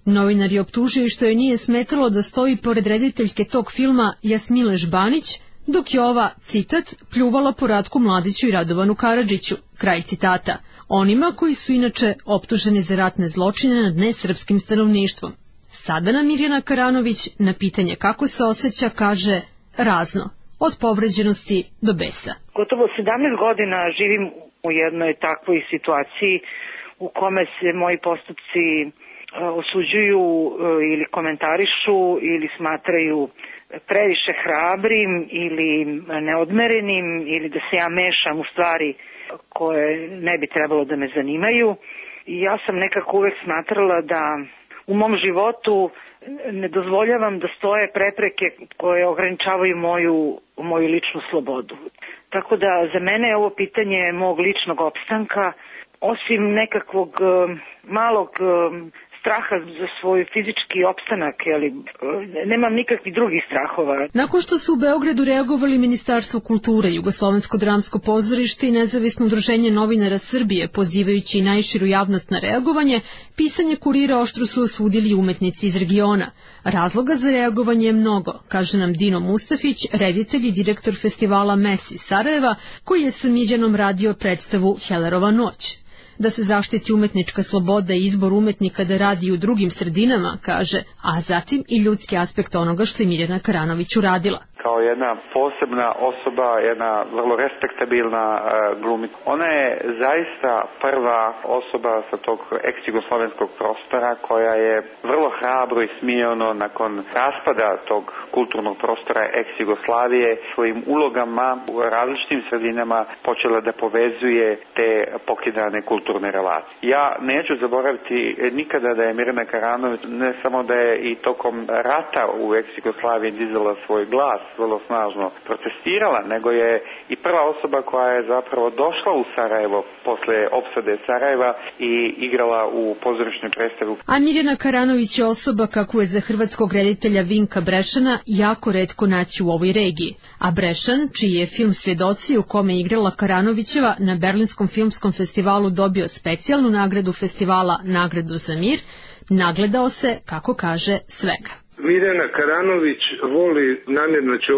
Novinari optužuju što joj nije smetalo da stoji pored rediteljke tog filma Jasmile Žbanić, dok je ova, citat, pljuvala po Ratku Mladiću i Radovanu Karadžiću, kraj citata, onima koji su inače optuženi za ratne zločine nad nesrpskim stanovništvom. Sada nam Mirjana Karanović na pitanje kako se osjeća kaže razno, od povređenosti do besa. Gotovo 17 godina živim u jednoj takvoj situaciji u kome se moji postupci osuđuju ili komentarišu ili smatraju previše hrabrim ili neodmerenim ili da se ja mešam u stvari koje ne bi trebalo da me zanimaju. I ja sam nekako uvek smatrala da u mom životu ne dozvoljavam da stoje prepreke koje ograničavaju moju ličnu slobodu. Tako da za mene je ovo pitanje mog ličnog opstanka, osim nekakvog malog straha za svoj fizički opstanak, ali nemam nikakvih drugih strahova. Nakon što su u Beogradu reagovali Ministarstvo kulture, Jugoslovensko dramsko pozorište i Nezavisno udruženje novinara Srbije, pozivajući najširu javnost na reagovanje, pisanje Kurira oštro su osudili umetnici iz regiona. Razloga za reagovanje je mnogo, kaže nam Dino Mustafić, reditelj i direktor festivala Mes iz Sarajeva, koji je sa Mirjanom radio predstavu Hellerova noć. Da se zaštiti umetnička sloboda i izbor umetnika da radi u drugim sredinama, kaže, a zatim i ljudski aspekt onoga što je Mirjana Karanović uradila. kao jedna posebna osoba, jedna vrlo respektabilna glumica. Ona je zaista prva osoba sa tog ex-jugoslovenskog prostora koja je vrlo hrabro i smijeno nakon raspada tog kulturnog prostora ex-Jugoslavije svojim ulogama u različitim sredinama počela da povezuje te pokidane kulturne relacije. Ja neću zaboraviti nikada da je Mirjana Karanović ne samo da je i tokom rata u ex-Jugoslaviji dizala svoj glas, vrlo snažno protestirala, nego je i prva osoba koja je zapravo došla u Sarajevo posle opsade Sarajeva i igrala u pozorišnoj predstavi. A Mirjana Karanović je osoba kakvu je za hrvatskog reditelja Vinka Brešana jako retko naći u ovoj regiji. A Brešan, čiji je film Svjedoci u kome je igrala Karanovićeva, na Berlinskom filmskom festivalu dobio specijalnu nagradu festivala Nagradu za mir, nagledao se, kako kaže, svega. Mirjana Karanović voli, namjerno ću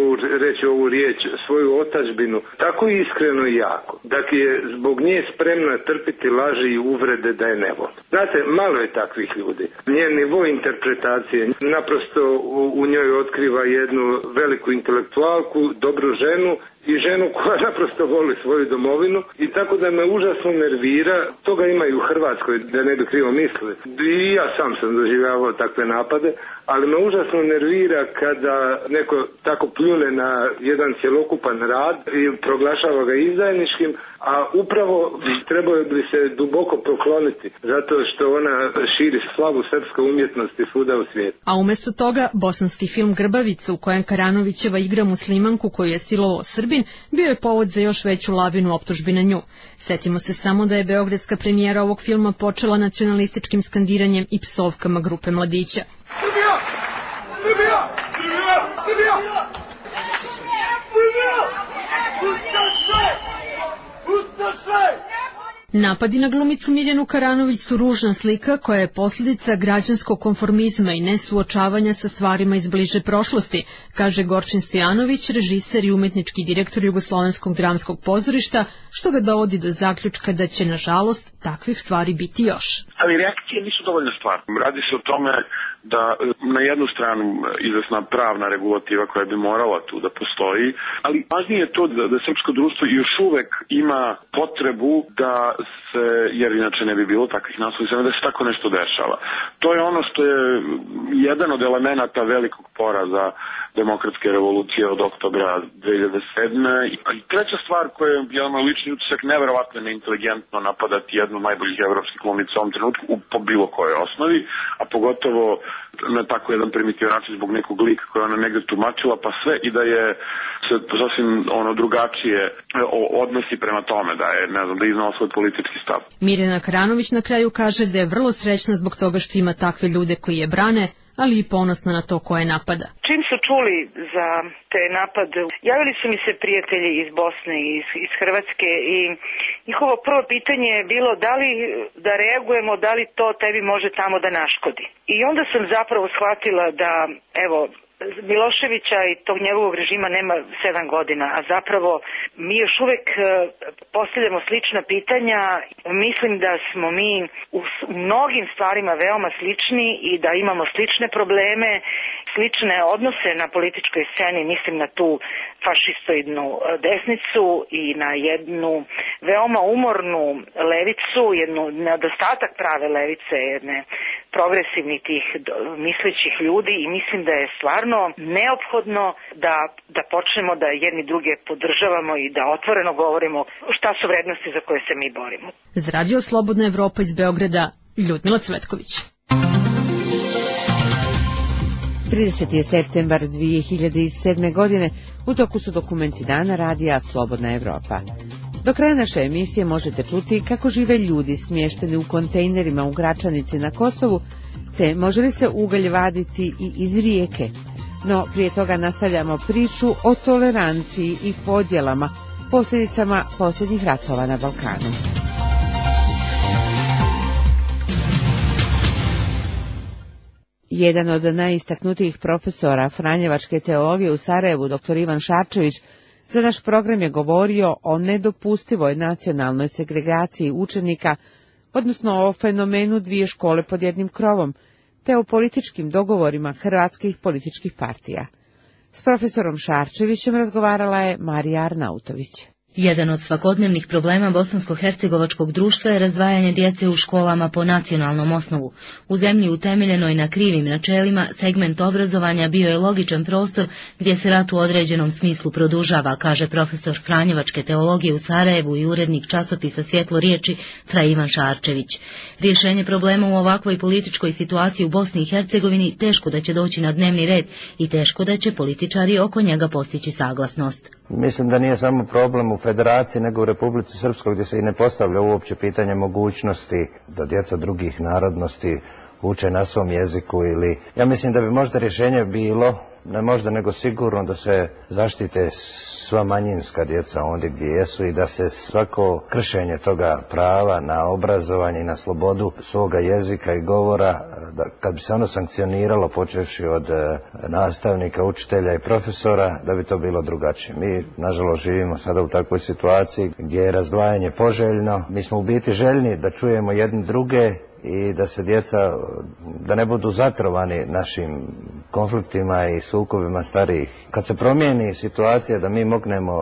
reći ovu riječ, svoju otadžbinu tako iskreno i jako, da je zbog nje spremna trpiti laži i uvrede da je ne voli. Znate, malo je takvih ljudi. Njen nivo interpretacije naprosto u njoj otkriva jednu veliku intelektualku, dobru ženu i ženu koja naprosto voli svoju domovinu i tako da me užasno nervira. Toga ima i u Hrvatskoj, da ne bi krivo mislili. I ja sam doživljavao takve napade, ali me užasno nervira kada neko tako pljune na jedan cjelokupan rad i proglašava ga izdajničkim, a upravo trebao bi se duboko pokloniti zato što ona širi slavu srpske umjetnosti svuda u svijetu. A umjesto toga, bosanski film Grbavica, u kojem Karanovićeva igra muslimanku koju je silovao Srbin, bio je povod za još veću lavinu optužbi na nju. Setimo se samo da je beogradska premijera ovog filma počela nacionalističkim skandiranjem i psovkama grupe mladića. Srbija! Srbija! Srbija! Srbija! Srbija! Ustaše! Ustaše! Napadi na glumicu Mirjanu Karanović su ružna slika koja je posljedica građanskog konformizma i nesuočavanja sa stvarima iz bliže prošlosti, kaže Gorčin Stojanović, režiser i umetnički direktor Jugoslovenskog dramskog pozorišta, što ga dovodi do zaključka da će, nažalost, takvih stvari biti još. Ali reakcije nisu dovoljna stvar. Radi se o tome da na jednu stranu izvesna pravna regulativa koja bi morala tu da postoji, ali važnije je to da srpsko društvo još uvek ima potrebu da se, jer inače ne bi bilo takvih naslovnica, da se tako nešto dešava. To je ono što je jedan od elemenata velikog poraza demokratske revolucije od oktobra 2007. I treća stvar koja je jedan lični utisak, neverovatno neinteligentno napadati jednu od najboljih evropskih glumica u ovom trenutku po bilo kojoj osnovi, a pogotovo na tako jedan primitivan način zbog nekog lika koja ona negde tumačila, pa sve i da je se sasvim drugačije odnosi prema tome, da je, ne znam, da iznala svoj politički stav. Mirjana Karanović na kraju kaže da je vrlo srećna zbog toga što ima takve ljude koji je brane, ali i ponosna na to koje napada. Čim su čuli za te napade, javili su mi se prijatelji iz Bosne i iz Hrvatske i njihovo prvo pitanje je bilo da li da reagujemo, da li to tebi može tamo da naškodi. I onda sam zapravo shvatila da, evo, Miloševića i tog njegovog režima nema 7 godina, a zapravo mi još uvek postavljamo slična pitanja. Mislim da smo mi u mnogim stvarima veoma slični i da imamo slične probleme, slične odnose na političkoj sceni, mislim na tu fašistoidnu desnicu i na jednu veoma umornu levicu, jednu nedostatak prave levice, jedne progresivnih tih mislećih ljudi i mislim da je stvarno neophodno da počnemo da jedni druge podržavamo i da otvoreno govorimo šta su vrednosti za koje se mi borimo. Za Radio Slobodna Evropa iz Beograda, Ljudmila Cvetković. 30. je septembar 2007. godine, u toku su dokumenti dana Radija Slobodna Evropa. Do kraja naše emisije možete čuti kako žive ljudi smješteni u kontejnerima u Gračanici na Kosovu, te može li se ugalj vaditi i iz rijeke. No prije toga nastavljamo priču o toleranciji i podjelama, posljedicama posljednjih ratova na Balkanu. Jedan od najistaknutijih profesora franjevačke teologije u Sarajevu, dr. Ivan Šarčević, za naš program je govorio o nedopustivoj nacionalnoj segregaciji učenika, odnosno o fenomenu dvije škole pod jednim krovom, te o političkim dogovorima hrvatskih političkih partija. S profesorom Šarčevićem razgovarala je Marija Arnautović. Jedan od svakodnevnih problema bosansko-hercegovačkog društva je razdvajanje djece u školama po nacionalnom osnovu. U zemlji utemeljenoj na krivim načelima, segment obrazovanja bio je logičan prostor gdje se rat u određenom smislu produžava, kaže profesor Franjevačke teologije u Sarajevu i urednik časopisa Svjetlo riječi Fra Ivan Šarčević. Rješenje problema u ovakvoj političkoj situaciji u Bosni i Hercegovini teško da će doći na dnevni red i teško da će političari oko njega postići saglasnost. Mislim da nije samo problem u Federaciji, nego u Republici Srpskoj, gdje se i ne postavlja uopće pitanje mogućnosti da djeca drugih narodnosti uče na svom jeziku ili... Ja mislim da bi možda rješenje bilo, ne možda nego sigurno, da se zaštite sva manjinska djeca ondje gdje jesu i da se svako kršenje toga prava na obrazovanje i na slobodu svoga jezika i govora, da kad bi se ono sankcioniralo počevši od nastavnika, učitelja i profesora, da bi to bilo drugačije. Mi, nažalost, živimo sada u takvoj situaciji gdje je razdvajanje poželjno. Mi smo u biti željni da čujemo jedni druge i da se djeca, da ne budu zatrovani našim konfliktima i sukobima starijih. Kad se promijeni situacija da mi mognemo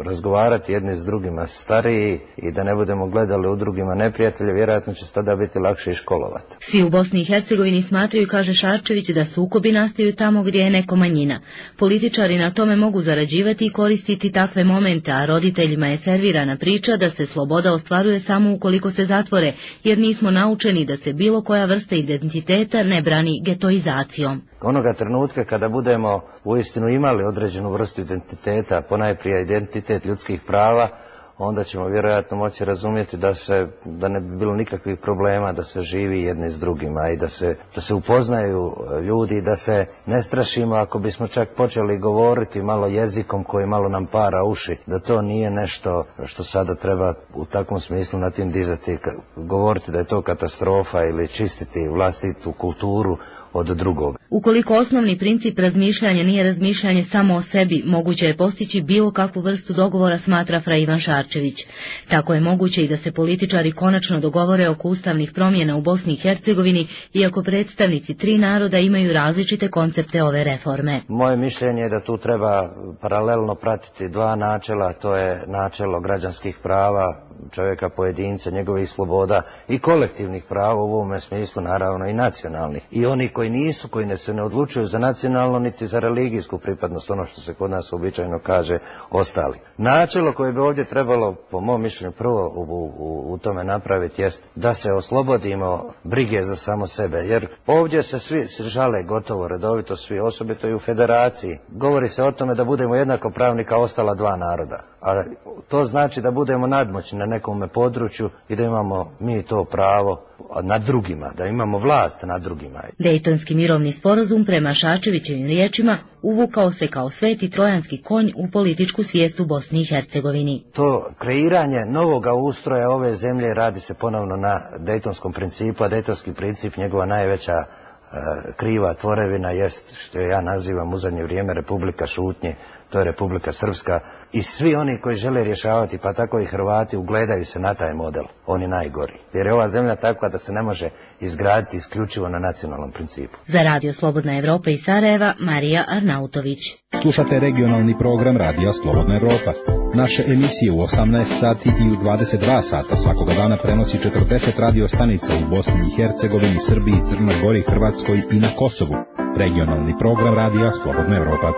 razgovarati jedni s drugima stariji i da ne budemo gledali u drugima neprijatelje, vjerojatno će se tada biti lakše i školovati. Svi u Bosni i Hercegovini smatraju, kaže Šarčević, da sukobi nastaju tamo gdje je neko manjina. Političari na tome mogu zarađivati i koristiti takve momente, a roditeljima je servirana priča da se sloboda ostvaruje samo ukoliko se zatvore, jer nismo naučeni da se bilo koja vrsta identiteta ne brani getoizacijom. Onoga trenutka kada budemo uistinu imali određenu vrstu identiteta, ponajprije identitet ljudskih prava, onda ćemo vjerojatno moći razumjeti da ne bi bilo nikakvih problema da se živi jedni s drugima i da se upoznaju ljudi, da se ne strašimo ako bismo čak počeli govoriti malo jezikom koji malo nam para uši, da to nije nešto što sada treba u takvom smislu na tim dizati, govoriti da je to katastrofa ili čistiti vlastitu kulturu od drugog. Ukoliko osnovni princip razmišljanja nije razmišljanje samo o sebi, moguće je postići bilo kakvu vrstu dogovora, smatra Fra Ivan Šarčević. Tako je moguće i da se političari konačno dogovore oko ustavnih promjena u Bosni i Hercegovini, iako predstavnici tri naroda imaju različite koncepte ove reforme. Moje mišljenje je da tu treba paralelno pratiti dva načela, to je načelo građanskih prava čovjeka pojedinca, njegovih sloboda i kolektivnih prava u ovome smislu, naravno i nacionalnih. I oni koji nisu, koji se ne odlučuju za nacionalno niti za religijsku pripadnost, ono što se kod nas običajno kaže, ostali. Načelo koje bi ovdje trebalo, po mom mišljenju, prvo u tome napraviti jest da se oslobodimo brige za samo sebe, jer ovdje se svi žale gotovo redovito, svi, osobito i u Federaciji. Govori se o tome da budemo jednakopravni kao ostala dva naroda, a to znači da budemo nadmoćni na nekome području i da imamo mi to pravo nad drugima, da imamo vlast nad drugima. Dejtonski mirovni sporazum, prema Šarčevićevim riječima, uvukao se kao sveti trojanski konj u političku svijest u Bosni i Hercegovini. To kreiranje novoga ustroja ove zemlje radi se ponovno na dejtonskom principu, a dejtonski princip, njegova najveća kriva tvorevina jest, što ja nazivam u zadnje vrijeme, Republika šutnje, to je Republika Srpska, i svi oni koji žele rješavati, pa tako i Hrvati, ugledaju se na taj model, oni najgori. Jer je ova zemlja takva da se ne može izgraditi isključivo na nacionalnom principu. Za Radio Slobodna Evropa iz Sarajeva, Marija Arnautović. Slušate regionalni program Radija Slobodna Evropa. Naše emisije u 18 sati i u 22 sata svakoga dana prenosi 40 radio stanica u Bosni i Hercegovini, Srbiji, Crnoj Gori, Hrvatskoj i na Kosovu. Regionalni program Radija Slobodna Evropa.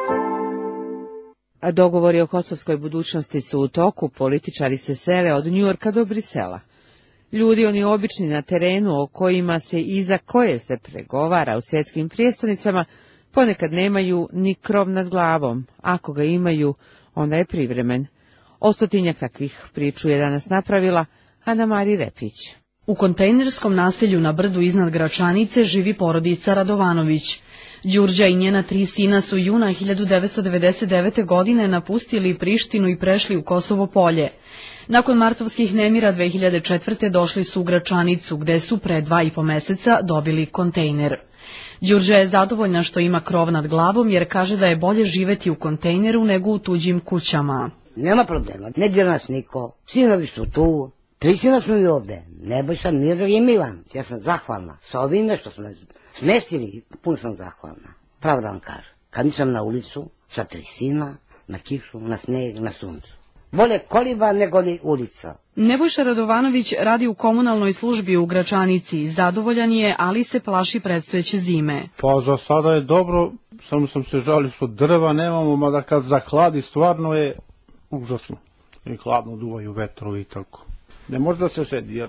A dogovori o kosovskoj budućnosti su u toku, političari se sele od Njujorka do Brisela. Ljudi, oni obični na terenu, o kojima se i za koje se pregovara u svjetskim prijestolnicama, ponekad nemaju ni krov nad glavom. Ako ga imaju, onda je privremen. 100 takvih priču je danas napravila Ana Mari Repić. U kontejnerskom naselju na brdu iznad Gračanice živi porodica Radovanović. Đurđa i njena 3 sina su juna 1999. godine napustili Prištinu i prešli u Kosovo Polje. Nakon martovskih nemira 2004. došli su u Gračanicu, gde su pre 2,5 meseca dobili kontejner. Đurđa je zadovoljna što ima krov nad glavom, jer kaže da je bolje živeti u kontejneru nego u tuđim kućama. Nema problema, ne dira nas niko, sinovi su tu, 3 sina smo i ovde, Nebojša, Miodrag i Milan. Ja sam zahvalna s ovime što smo smestili, puno sam zahvalna. Pravo da vam kažem, kad nisam na ulicu, sa 3 sina, na kišu, na sneg, na suncu. Bolje koliba nego li ulica. Nebojša Radovanović radi u komunalnoj službi u Gračanici. Zadovoljan je, ali se plaši predstojeće zime. Pa za sada je dobro, samo sam se žalio što drva nemamo, mada kad zahladi stvarno je užasno. I hladno duvaju vetrovi i tako. Ne može da se sedi jer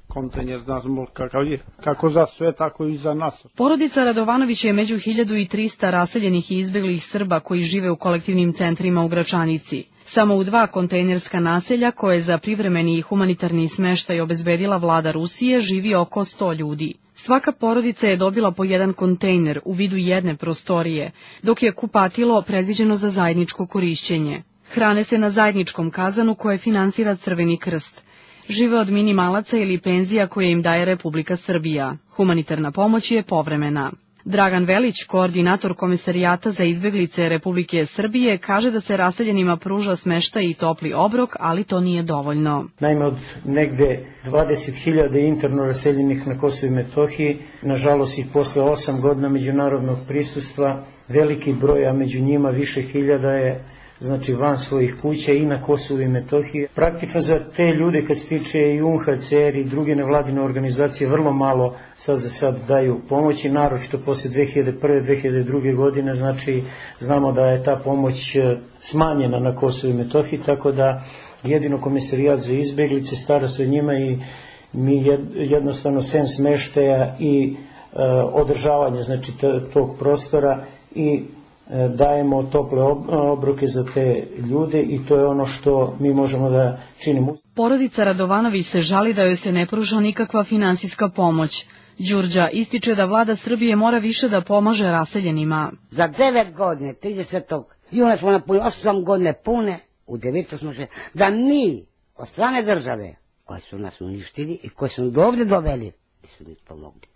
kontejner znamo kakav je, kako za sve, tako i za nas. Porodica Radovanović je među 1300 raseljenih i izbeglih Srba koji žive u kolektivnim centrima u Gračanici. Samo u 2 kontejnerska naselja koje za privremeni i humanitarni smeštaj obezbedila vlada Rusije živi oko 100 ljudi. Svaka porodica je dobila po 1 kontejner u vidu jedne prostorije, dok je kupatilo predviđeno za zajedničko korišćenje. Hrane se na zajedničkom kazanu koje finansira Crveni krst. Žive od minimalaca ili penzija koje im daje Republika Srbija. Humanitarna pomoć je povremena. Dragan Velić, koordinator Komesarijata za izbeglice Republike Srbije, kaže da se raseljenima pruža smeštaj i topli obrok, ali to nije dovoljno. Naime, od negde 20.000 interno raseljenih na Kosovu i Metohiji, nažalost i posle 8 godina međunarodnog prisustva, veliki broj, a među njima više hiljada je znači van svojih kuća i na Kosovu i Metohiji. Praktično za te ljude, kad se tiče i UNHCR i druge nevladine organizacije, vrlo malo sad za sad daju pomoći, naročito posle 2001. 2002. godine, znači znamo da je ta pomoć smanjena na Kosovu i Metohiji, tako da jedino Komesarijat za izbeglice stara se o njima i mi jednostavno sem smeštaja i održavanja znači tog prostora i dajemo tople obroke za te ljude i to je ono što mi možemo da činimo. Porodica Radovanović se žali da joj se ne pruža nikakva finansijska pomoć. Đurđa ističe da vlada Srbije mora više da pomaže raseljenima. Za 9 godine, 30. juna smo napunili 8 godine pune, u 9. smo še, da mi od strane države, koji su nas uništili i koji su ovdje doveli, nisu mi pomogli.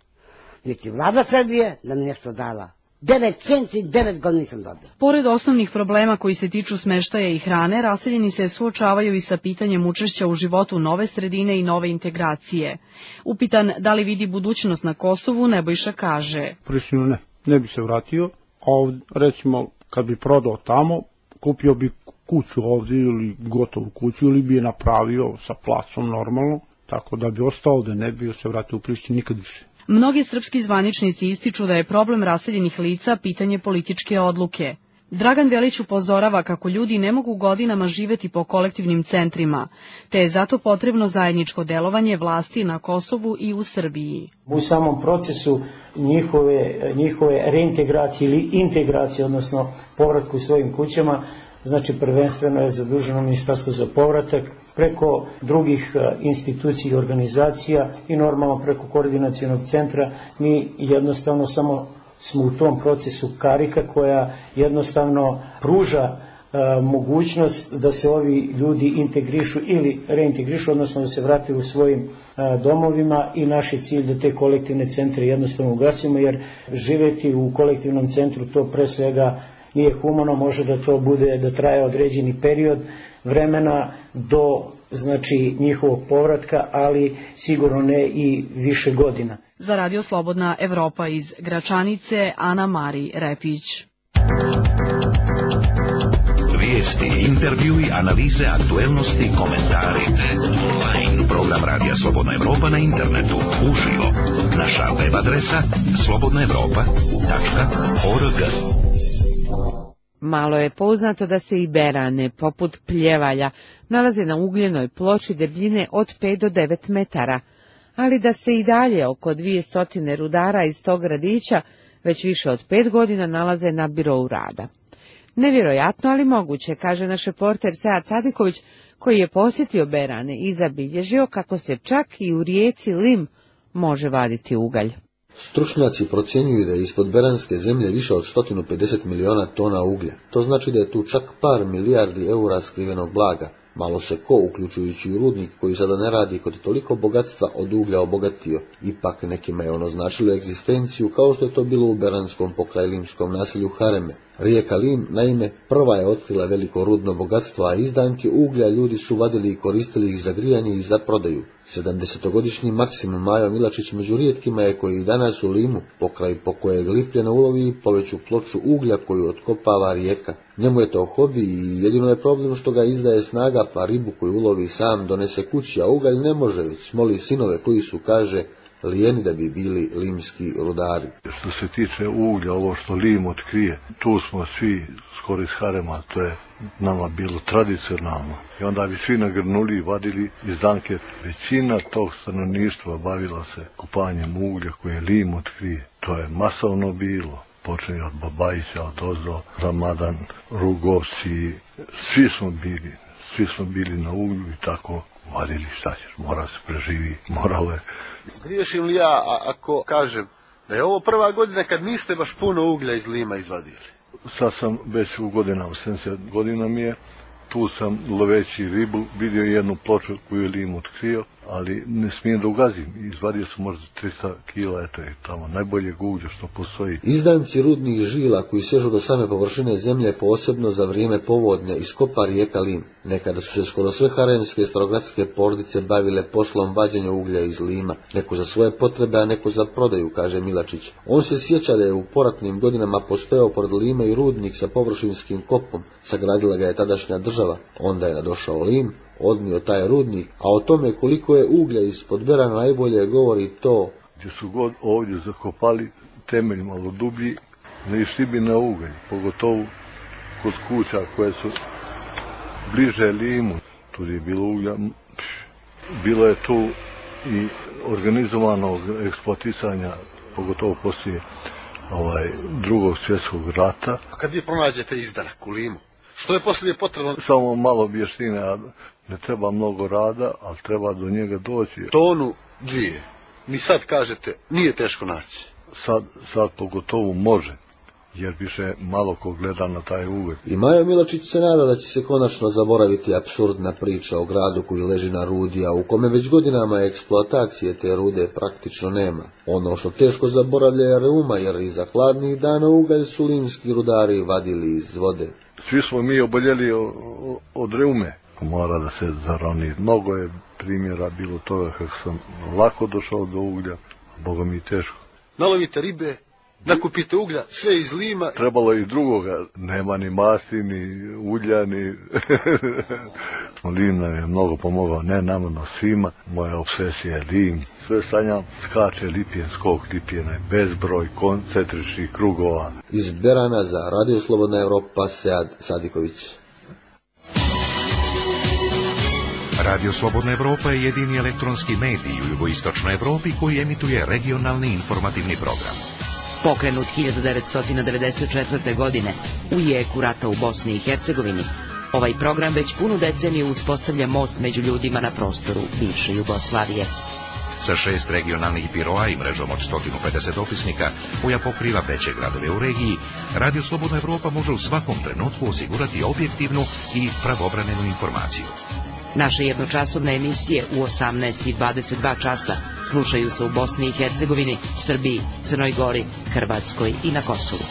Niti vlada Srbije da mi nešto dala. 9 centi, 9 godina nisam dobila. Pored osnovnih problema koji se tiču smeštaja i hrane, raseljeni se suočavaju i sa pitanjem učešća u životu nove sredine i nove integracije. Upitan da li vidi budućnost na Kosovu, Nebojša kaže. Prišljeno ne bi se vratio, a recimo kad bi prodao tamo, kupio bi kuću ovdje ili gotovu kuću ili bi je napravio sa placom normalno, tako da bi ostao ovdje, ne bi se vratio u Prištinu nikad više. Mnogi srpski zvaničnici ističu da je problem raseljenih lica pitanje političke odluke. Dragan Velić upozorava kako ljudi ne mogu godinama živeti po kolektivnim centrima, te je zato potrebno zajedničko delovanje vlasti na Kosovu i u Srbiji. U samom procesu njihove reintegracije ili integracije, odnosno povratku u svojim kućama, znači prvenstveno je zaduženo Ministarstvo za povratak, preko drugih institucija i organizacija i normalno preko koordinacionog centra. Mi jednostavno samo smo u tom procesu karika koja jednostavno pruža mogućnost da se ovi ljudi integrišu ili reintegrišu, odnosno da se vrate u svojim domovima i naš je cilj da te kolektivne centre jednostavno ugasimo, jer živeti u kolektivnom centru to pre svega nije humano, može da to bude, da traje određeni period vremena do znači njihovog povratka, ali sigurno ne i više godina. Za Radio Slobodna Evropa iz Gračanice, Ana Mari Repić. Vijesti, intervjui, analize, aktuelnosti, komentari. Online program Radija Slobodna Evropa na internetu, uživo. Naša web adresa slobodnaevropa.org. Malo je poznato da se i berane, poput pljevalja, nalaze na ugljenoj ploči debljine od 5 do 9 metara, ali da se i dalje oko 200 rudara iz tog gradića već više od 5 godina nalaze na birou rada. Nevjerojatno, ali moguće, kaže naš reporter Sead Sadiković, koji je posjetio berane i zabilježio kako se čak i u rijeci Lim može vaditi ugalj. Stručnjaci procjenjuju da je ispod beranske zemlje više od 150 miliona tona uglja. To znači da je tu čak par milijardi eura skrivenog blaga. Malo se ko, uključujući i rudnik koji sada ne radi kod toliko bogatstva, od uglja obogatio. Ipak nekima je ono značilo egzistenciju, kao što je to bilo u beranskom pokrajlimskom naselju Hareme. Rijeka Lim, naime, prva je otkrila veliko rudno bogatstvo, a izdanke uglja ljudi su vadili i koristili ih za grijanje i za prodaju. 70-godišnji Maksim Majo Milačić među rijetkima je koji danas u Limu, pokraj po kojeg Lipljena ulovi poveću ploču uglja koju otkopava rijeka. Njemu je to hobi i jedino je problem što ga izdaje snaga, pa ribu koju ulovi sam donese kući, a ugalj ne može, već moli sinove koji su, kaže, lijeni da bi bili limski rudari. Što se tiče uglja, ovo što Lim otkrije, tu smo svi skoro iz harema, to je nama bilo tradicionalno. I onda bi svi nagrnuli i vadili izdanke. Većina tog stanovništva bavila se kopanjem uglja koje Lim otkrije. To je masovno bilo. Počeli od Babajića, od Ozdo, Ramadan, Rugovci, svi smo bili na uglju i tako vadili, šta ćeš, mora se preživi, moralo je. Griješim li ja ako kažem da je ovo prva godina kad niste baš puno uglja iz Lima izvadili? Sad sam već u godinama, 70 godina mi je, tu sam loveći ribu vidio jednu ploču koju je Lim otkrio, ali ne smijem da ugazim. Izvadio sam možda 300 kila, eto je tamo najboljeg uglja što postoji. Izdanci rudnih žila koji sežu do same površine zemlje posebno za vrijeme povodnja iskopa rijeka Lim. Nekada su se skoro sve haremske i starogradske porodice bavile poslom vađenja uglja iz Lima, neko za svoje potrebe, a neko za prodaju, kaže Milačić. On se sjeća da je u poratnim godinama postojao pored Lima i rudnik sa površinskim kopom, sagradila ga je tadašnja država. Onda je nadošao Lim, odnio taj rudnik, a o tome koliko je uglja ispod Berana najbolje govori to. Gdje su god ovdje zakopali temelj malo dublji, ne išli bi na ugalj, pogotovo kod kuća koje su bliže Limu. Tu je bilo uglja, bilo je tu i organizovanog eksploatisanja, pogotovo poslije Drugog svjetskog rata. A kad vi pronađete izdanak u Limu, što je poslije potrebno? Samo malo objašnjenja, ne treba mnogo rada, ali treba do njega doći. Tonu, dvije. Mi sad kažete, nije teško naći. Sad pogotovo može, jer više malo ko gleda na taj ugalj. I Majo Milačić se nada da će se konačno zaboraviti apsurdna priča o gradu koji leži na rudi, a u kome već godinama eksploatacije te rude praktično nema. Ono što teško zaboravlja je reuma, jer iza hladnih dana ugalj su limski rudari vadili iz vode. Svi smo mi oboljeli od reume. Mora da se zaroni. Mnogo je primjera bilo toga kako sam lako došao do uglja, boga mi teško. Nalovite ribe, nakupite uglja, sve iz Lima. Trebalo i drugoga, nema ni masti, ni ulja, ni... Lim nam je mnogo pomogao, ne namjerno svima. Moja obsesija je Lim. Sve sanjam, skače Lipjen, skok Lipjena, bezbroj koncentričnih krugova. Iz Berana za Radio Slobodna Evropa, Sead Sadiković. Radio Slobodna Evropa je jedini elektronski medij u jugoistočnoj Evropi koji emituje regionalni informativni program. Pokrenut 1994. godine u jeku rata u Bosni i Hercegovini, ovaj program već punu deceniju uspostavlja most među ljudima na prostoru bivše Jugoslavije. Sa 6 regionalnih biroa i mrežom od 150 dopisnika koja pokriva veće gradove u regiji, Radio Slobodna Evropa može u svakom trenutku osigurati objektivnu i pravovremenu informaciju. Naše jednočasovne emisije u 18 i 22 časa slušaju se u Bosni i Hercegovini, Srbiji, Crnoj Gori, Hrvatskoj i na Kosovu.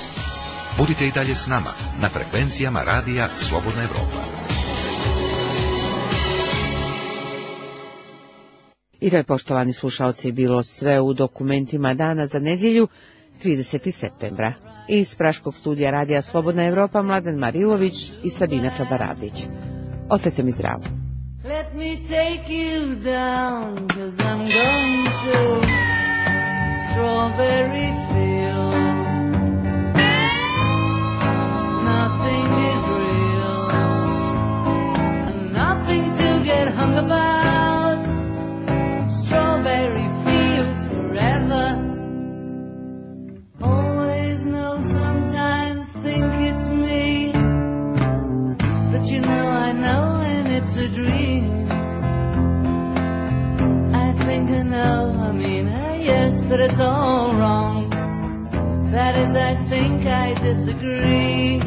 Budite i dalje s nama na frekvencijama Radija Slobodna Evropa. I to je, poštovani slušaoci, bilo sve u dokumentima dana za nedjelju 30. septembra. Iz Praškog studija Radija Slobodna Evropa Mladen Marilović i Sabina Čabaradić. Ostajte mi zdravo. Let me take you down, 'cause I'm going to Strawberry Fields. Nothing is real, and nothing to get hung about. Strawberry Fields forever. Always know, sometimes think it's me, but you know I know, and it's a dream. I know, I mean, yes, but it's all wrong. That is, I think I disagree.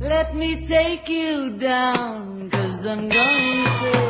Let me take you down, 'cause I'm going to